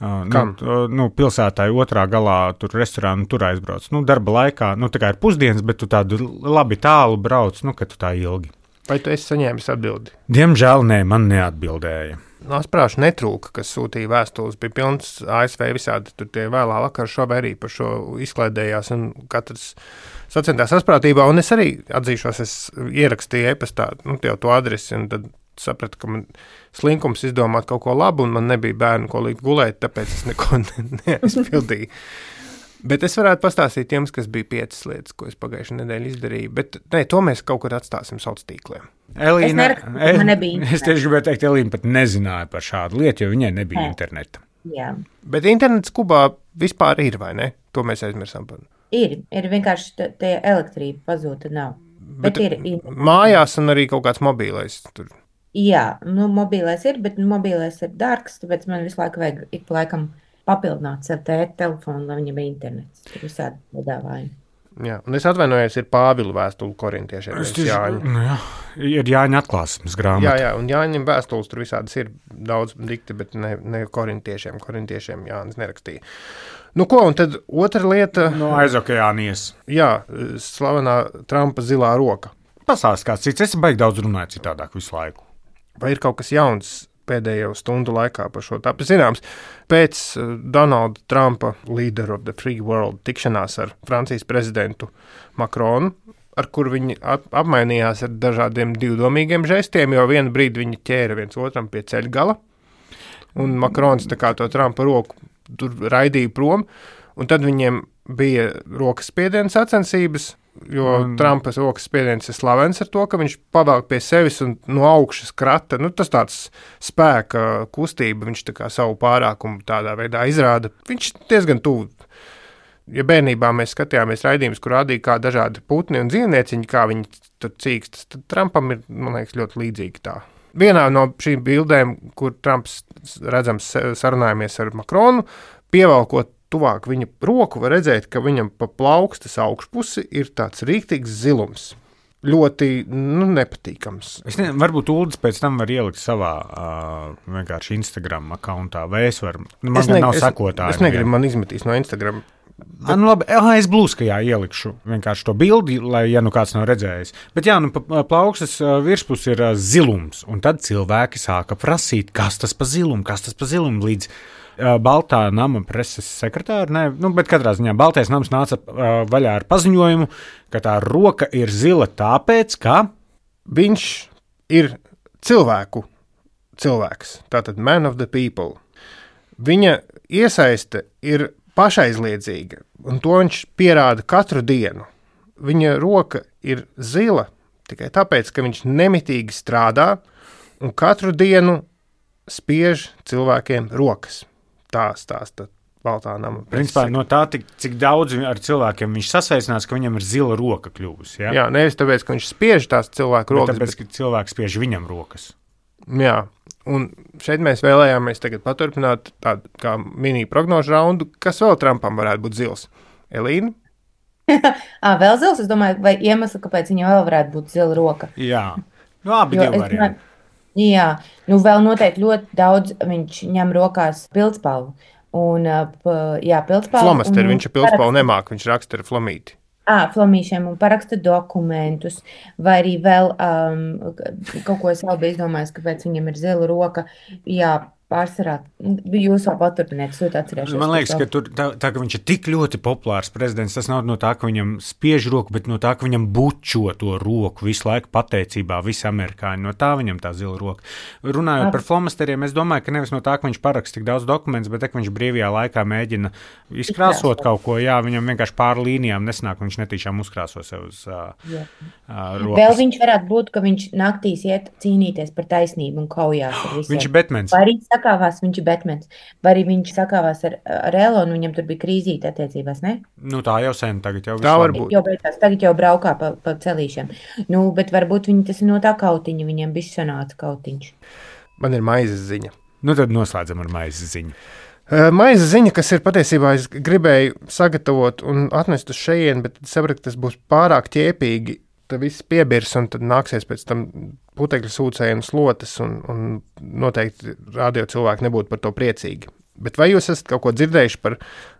Kam? Nu, nu, pilsētāji otrā galā tur restorānu tur aizbrauc. Nu, darba laikā, nu, tā kā ir pusdienas, bet tu tādu labi tālu brauc, nu, ka tu tā ilgi. Vai tu esi saņēmis atbildi? Diemžēl nē, man neatbildēja. No sprāšu netrūka, kas sūtīja vēstules, bija pilns A S V visādi, tur tie vēlā vakar šobrīd arī par šo izklaidējās un katrs sacentās asprātībā, un es arī atzīšos, es ierakstīju e-pastā, nu, jau to adresi, un tad sapratu, ka man slinkums izdomāt kaut ko labu, un man nebija bērnu, ko likt gulēt, tāpēc es neko neaizpildīju. Bet es varētu pastāstīt tiem, kas bija piecas lietas, ko es pagājušajā nedēļā izdarīju, bet ne, to mēs kaut kur atstāsim sociālos tīkliem. Elīna, es, nerak, man nebija es tieši gribēju teikt, Elīna pat nezināja par šādu lietu, jo viņai nebija He. interneta. Jā. Bet internets Kubā vispār ir, vai ne? To mēs aizmirsām par. Ir, ir vienkārši tie elektrība pazūta nav. Bet, bet ir, ir. Mājās un arī kaut kāds mobīlais tur. Jā, nu mobilais ir, bet mobilais ir dārgs, tāpēc man visu laiku vajag ik pa laikam papildināt sev tēt telefonu, lai viņam ir internets. Tur visādi piedāvājumi. Jā, un es atvainojos, ir Pāvila vēstule korintiešiem. Es tieši, nu jā, ir Jāņa atklāsmes grāmata. Jā, jā, un Jāņam vēstules tur visādas ir daudz dikti, bet ne, ne korintiešiem. Korintiešiem Jānis nerakstīja. Nu ko, un tad otra lieta... No aizokeānijas. Jā, slavenā Trumpa zilā roka. pasāst kāds cits, es baigi daudz runāju citādāk visu laiku. Vai ir kaut kas jauns pēdējo stundu laikā par šo tāpu zināms? Pēc Donalda Trumpa, Leader of the Free World, tikšanās ar Francijas prezidentu Macronu, ar kur viņi apmainījās ar dažādiem divdomīgiem žestiem, jo vienu brīdi viņi ķēra viens otram pie ceļa gala, un Macrons tā kā to Trumpa roku tur raidīja prom, un tad viņiem bija rokas spiediens sacensības, jo un... Trumpas rokas spiediens ir slavens ar to, ka viņš pavelk pie sevis un no augšas krata, nu tas tāds spēka kustība, viņš tā kā savu pārākumu tādā veidā izrāda. Viņš diezgan tuvu. Ja bērnībā mēs skatījāmies raidījumus, kur rādīja kā dažādi putni un dzīvnieciņi, kā viņi tur cīkstas, tad Trumpam ir, man liekas, ļoti līdzīgi tā. Vienā no šīm bildēm, kur Trumps redzams sarunājamies ar Macronu, pievalkot tuvāk viņa roku, var redzēt, ka viņam pa plaukstas augšpusi ir tāds rīktīgs zilums. Ļoti nu, nepatīkams. Es nezinu, varbūt Uldis pēc tam var ielikt savā uh, vienkārši Instagram akauntā, vai es varu, man es ne, nav sekotāji. Es negribu, man izmetīs no Instagram. Bet... Ah, nu labi, ah, es blūskajā ielikšu vienkārši to bildi, lai, ja nu kāds nav redzējis. Bet jā, nu pa plaukstas virspus ir uh, zilums, un tad cilvēki sāka prasīt, kas tas pa zilumu, kas tas pa zilumu līdz uh, Baltā nama preses sekretāra, ne, nu, bet katrā ziņā Baltais nams nāca uh, vaļā ar paziņojumu, ka tā roka ir zila tāpēc, ka viņš ir cilvēku cilvēks, tātad man of the people. Viņa iesaiste ir pašaizliedzīga, un to viņš pierāda katru dienu. Viņa roka ir zila tikai tāpēc, ka viņš nemitīgi strādā un katru dienu spiež cilvēkiem rokas. Tā stāsta Baltā nama. Principā no tā, tik, cik daudz ar cilvēkiem viņš sasveicinās, ka viņam ir zila roka kļuvusi. Ja? Jā, nevis tāpēc, ka viņš spiež tās cilvēku rokas. Bet tāpēc, bet... ka cilvēks spiež viņam rokas. Jā. Un šeit mēs vēlējāmies tagad paturpināt tādu kā mini prognožu raundu, kas vēl Trumpam varētu būt zils. Elīna? à, vēl zils, es domāju, vai iemesli, kāpēc viņam vēl varētu būt zila roka? Jā, nu abi divi varianti. Jā, nu vēl noteikti ļoti daudz viņš ņem rokās pildspalvu. Un, jā, pildspalvu. Flomasteri, viņš ar pildspalvu nemāk, viņš raksta ar flomīti. À, flamīšiem un paraksta dokumentus, vai arī vēl um, kaut ko es vēl biju izdomājis, kāpēc viņam ir zila roka. Jā, pārsvarā, jūs vēl paturpiniet, es ļoti atcerēšos. Man liekas, ka tur, tā, tā, ka viņš ir tik ļoti populārs prezidents, tas nav no tā, ka viņam spiež roku, bet no tā, ka viņam bučo to roku visu laiku pateicībā, visi amerikāņi, no tā viņam tā zila roka. Runājot Ar... par flomasteriem, es domāju, ka nevis no tā, ka viņš paraksta tik daudz dokumentus, bet ka viņš brīvajā laikā mēģina izkrāsot kaut ko, jā, viņam vienkārši pāri līnijām nesnāk, viņš netīšām uzkrāso sev uz uh, uh, rokas. Vēl viņš varētu būt, ka viņš naktīs iet cīnīties par taisnību un kaujās ar visiem. Viņš ir Batmans. Sakāvās, viņš ir Batmans. Vai arī viņš sakāvās ar, ar Elonu, viņam tur bija krīzīte attiecībās, ne? Nu tā jau sen, tagad jau tā var būt. Jau beigās, tagad jau braukā pa, pa celīšiem. Nu, bet varbūt viņi tas ir no tā kautiņa, viņiem bišķi sanāca kautiņš. Man ir maizes ziņa. Nu tad noslēdzam ar maizes ziņu. Uh, maizes ziņa, kas ir patiesībā, es gribēju sagatavot un atnest uz šejien, bet sapratu, ka tas būs pārāk ķēpīgi. Tad viss piebirs un tad nāksies pēc tam putekļu sūcēju un slotas un, un noteikti radio cilvēki nebūtu par to priecīgi. Bet vai jūs esat kaut ko dzirdējuši par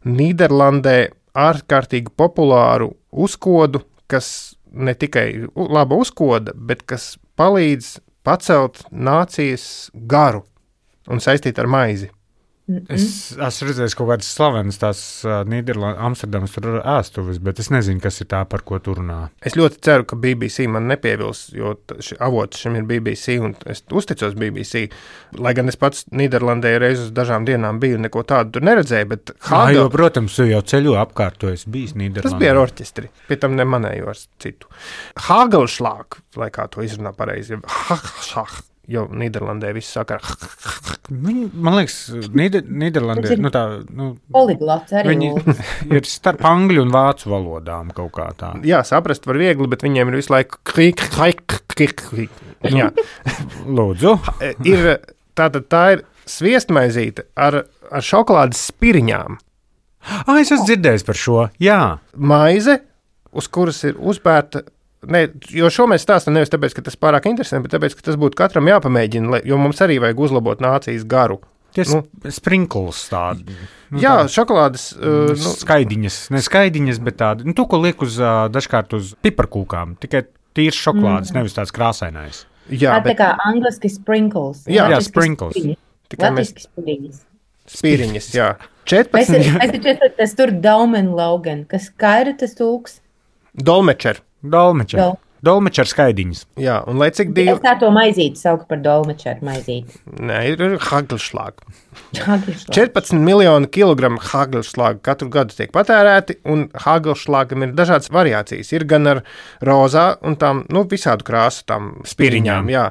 Nīderlandē ārkārtīgi populāru uzkodu, kas ne tikai laba uzkoda, bet kas palīdz pacelt nācijas garu un saistīt ar maizi? Es esmu redzējis kaut kādas slavenas tās uh, Nīderlandes, Amsterdamas tur ēstuves, bet es nezinu, kas ir tā, par ko tur runā. Es ļoti ceru, ka B B C man nepievils, jo ši, avots šim ir B B C un es uzticos B B C. Lai gan es pats Nīderlandē reiz uz dažām dienām biju un neko tādu tur neredzēju, bet Hagel... Jā, jo, protams, jau ceļu apkārt, to es bijis Nīderlandē. Tas bija ar orķestri, pie tam nemanēju ar citu. Hagelschlag, lai kā to izrunā pareizi, Hagelschlag. Jo Nīderlandē viss saka, viņi, man liekas, Nīder, Nīderlandē, nu tā, nu, poliglats arī. Viņi ir starp angļu un vācu valodām kaut kā tā. Jā, saprast var viegli, bet viņiem ir visu laiku krik, krik, krik, krik. Jā. Lūdzu. Ir, tātad tā ir sviestmaizīte ar, ar šokolādes spiriņām. Ah, es esmu dzirdējis par šo, jā. Maize, uz kuras ir uzbērta. Ne, jo šo mēs stāstam nevis tāpēc, ka tas pārāk interesanti, bet tāpēc, ka tas būtu katram jāpamēģina, jo mums arī vajag uzlabot nācijas garu. Tie nu, sprinkls tādi. Nu, jā, tādi, šokolādes. Uh, nu, skaidiņas, ne skaidiņas, bet tādi, nu to, ko liek uz, uh, dažkārt uz piparkūkām, tikai tīrs šokolādes, mm. nevis tāds krāsainais. Jā, bet... Tā kā angliski sprinkles. Jā, jā sprinkles. Latviski spiriņas. Spiriņas, jā. četrpadsmit Mēs taču tas tur Daumen Logan. Kas kā ir tas tūks? Dolmečer. Dolmečer. Dol. Dolmečer skaidiņas. Jā, un lai cik divi... Es tā to maizīti sauku par dolmečeru maizīti. Nē, ir, ir hagelšlāga. četrpadsmit miljoni kilogramu hagelšlāga katru gadu tiek patērēti, un hagelšlāgam ir dažādas variācijas. Ir gan ar rozā un tām, nu, visādu krāsu tām spiriņām, jā.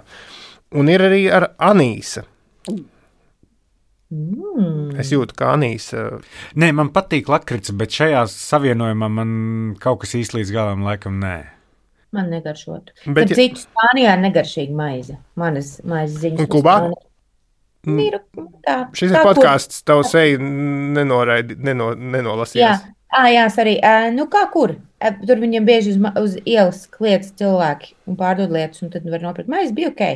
Un ir arī ar anīsa. Mm. Es jūtu, ka anīsa... Nē, man patīk lakrits, bet šajā savienojumā man kaut kas īsti līdz galam laikam nē. Man negaršotu. Bet ja... citu Spānijā ir negaršīga maize. Manas maizes ziņas. Un Kubā? Ir, tā, Šis ir podkāsts, tavu seju nenoraidi, neno, nenolasījās. Jā, à, jā arī. Nu, kā kur? Tur viņiem bieži uz, uz ielas kliedz cilvēki un pārdod lietas, un tad var nopirkt maizi. Bija ok.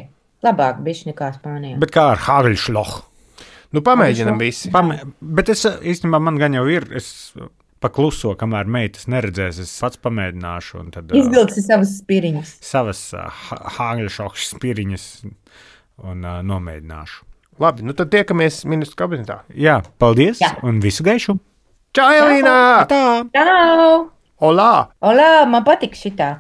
Labāk bišķi nekā Spānijā. Bet kā ar hagelšlohu? Nu, pamēģinam visi. Pamē... Bet es īstenībā man gan jau ir, es pakluso, kamēr meitas neredzēs, es pats pamēģināšu. Tad, izvilksi savas spiriņas. Savas uh, hagelšlohu spiriņas un uh, nomēģināšu. Labi, nu tad tiekamies ministru kabinetā. Jā, paldies Jā. Un visu gaišu. Čau, Elīna! Tā! Čau! Olā! Olā, man patīk šitā.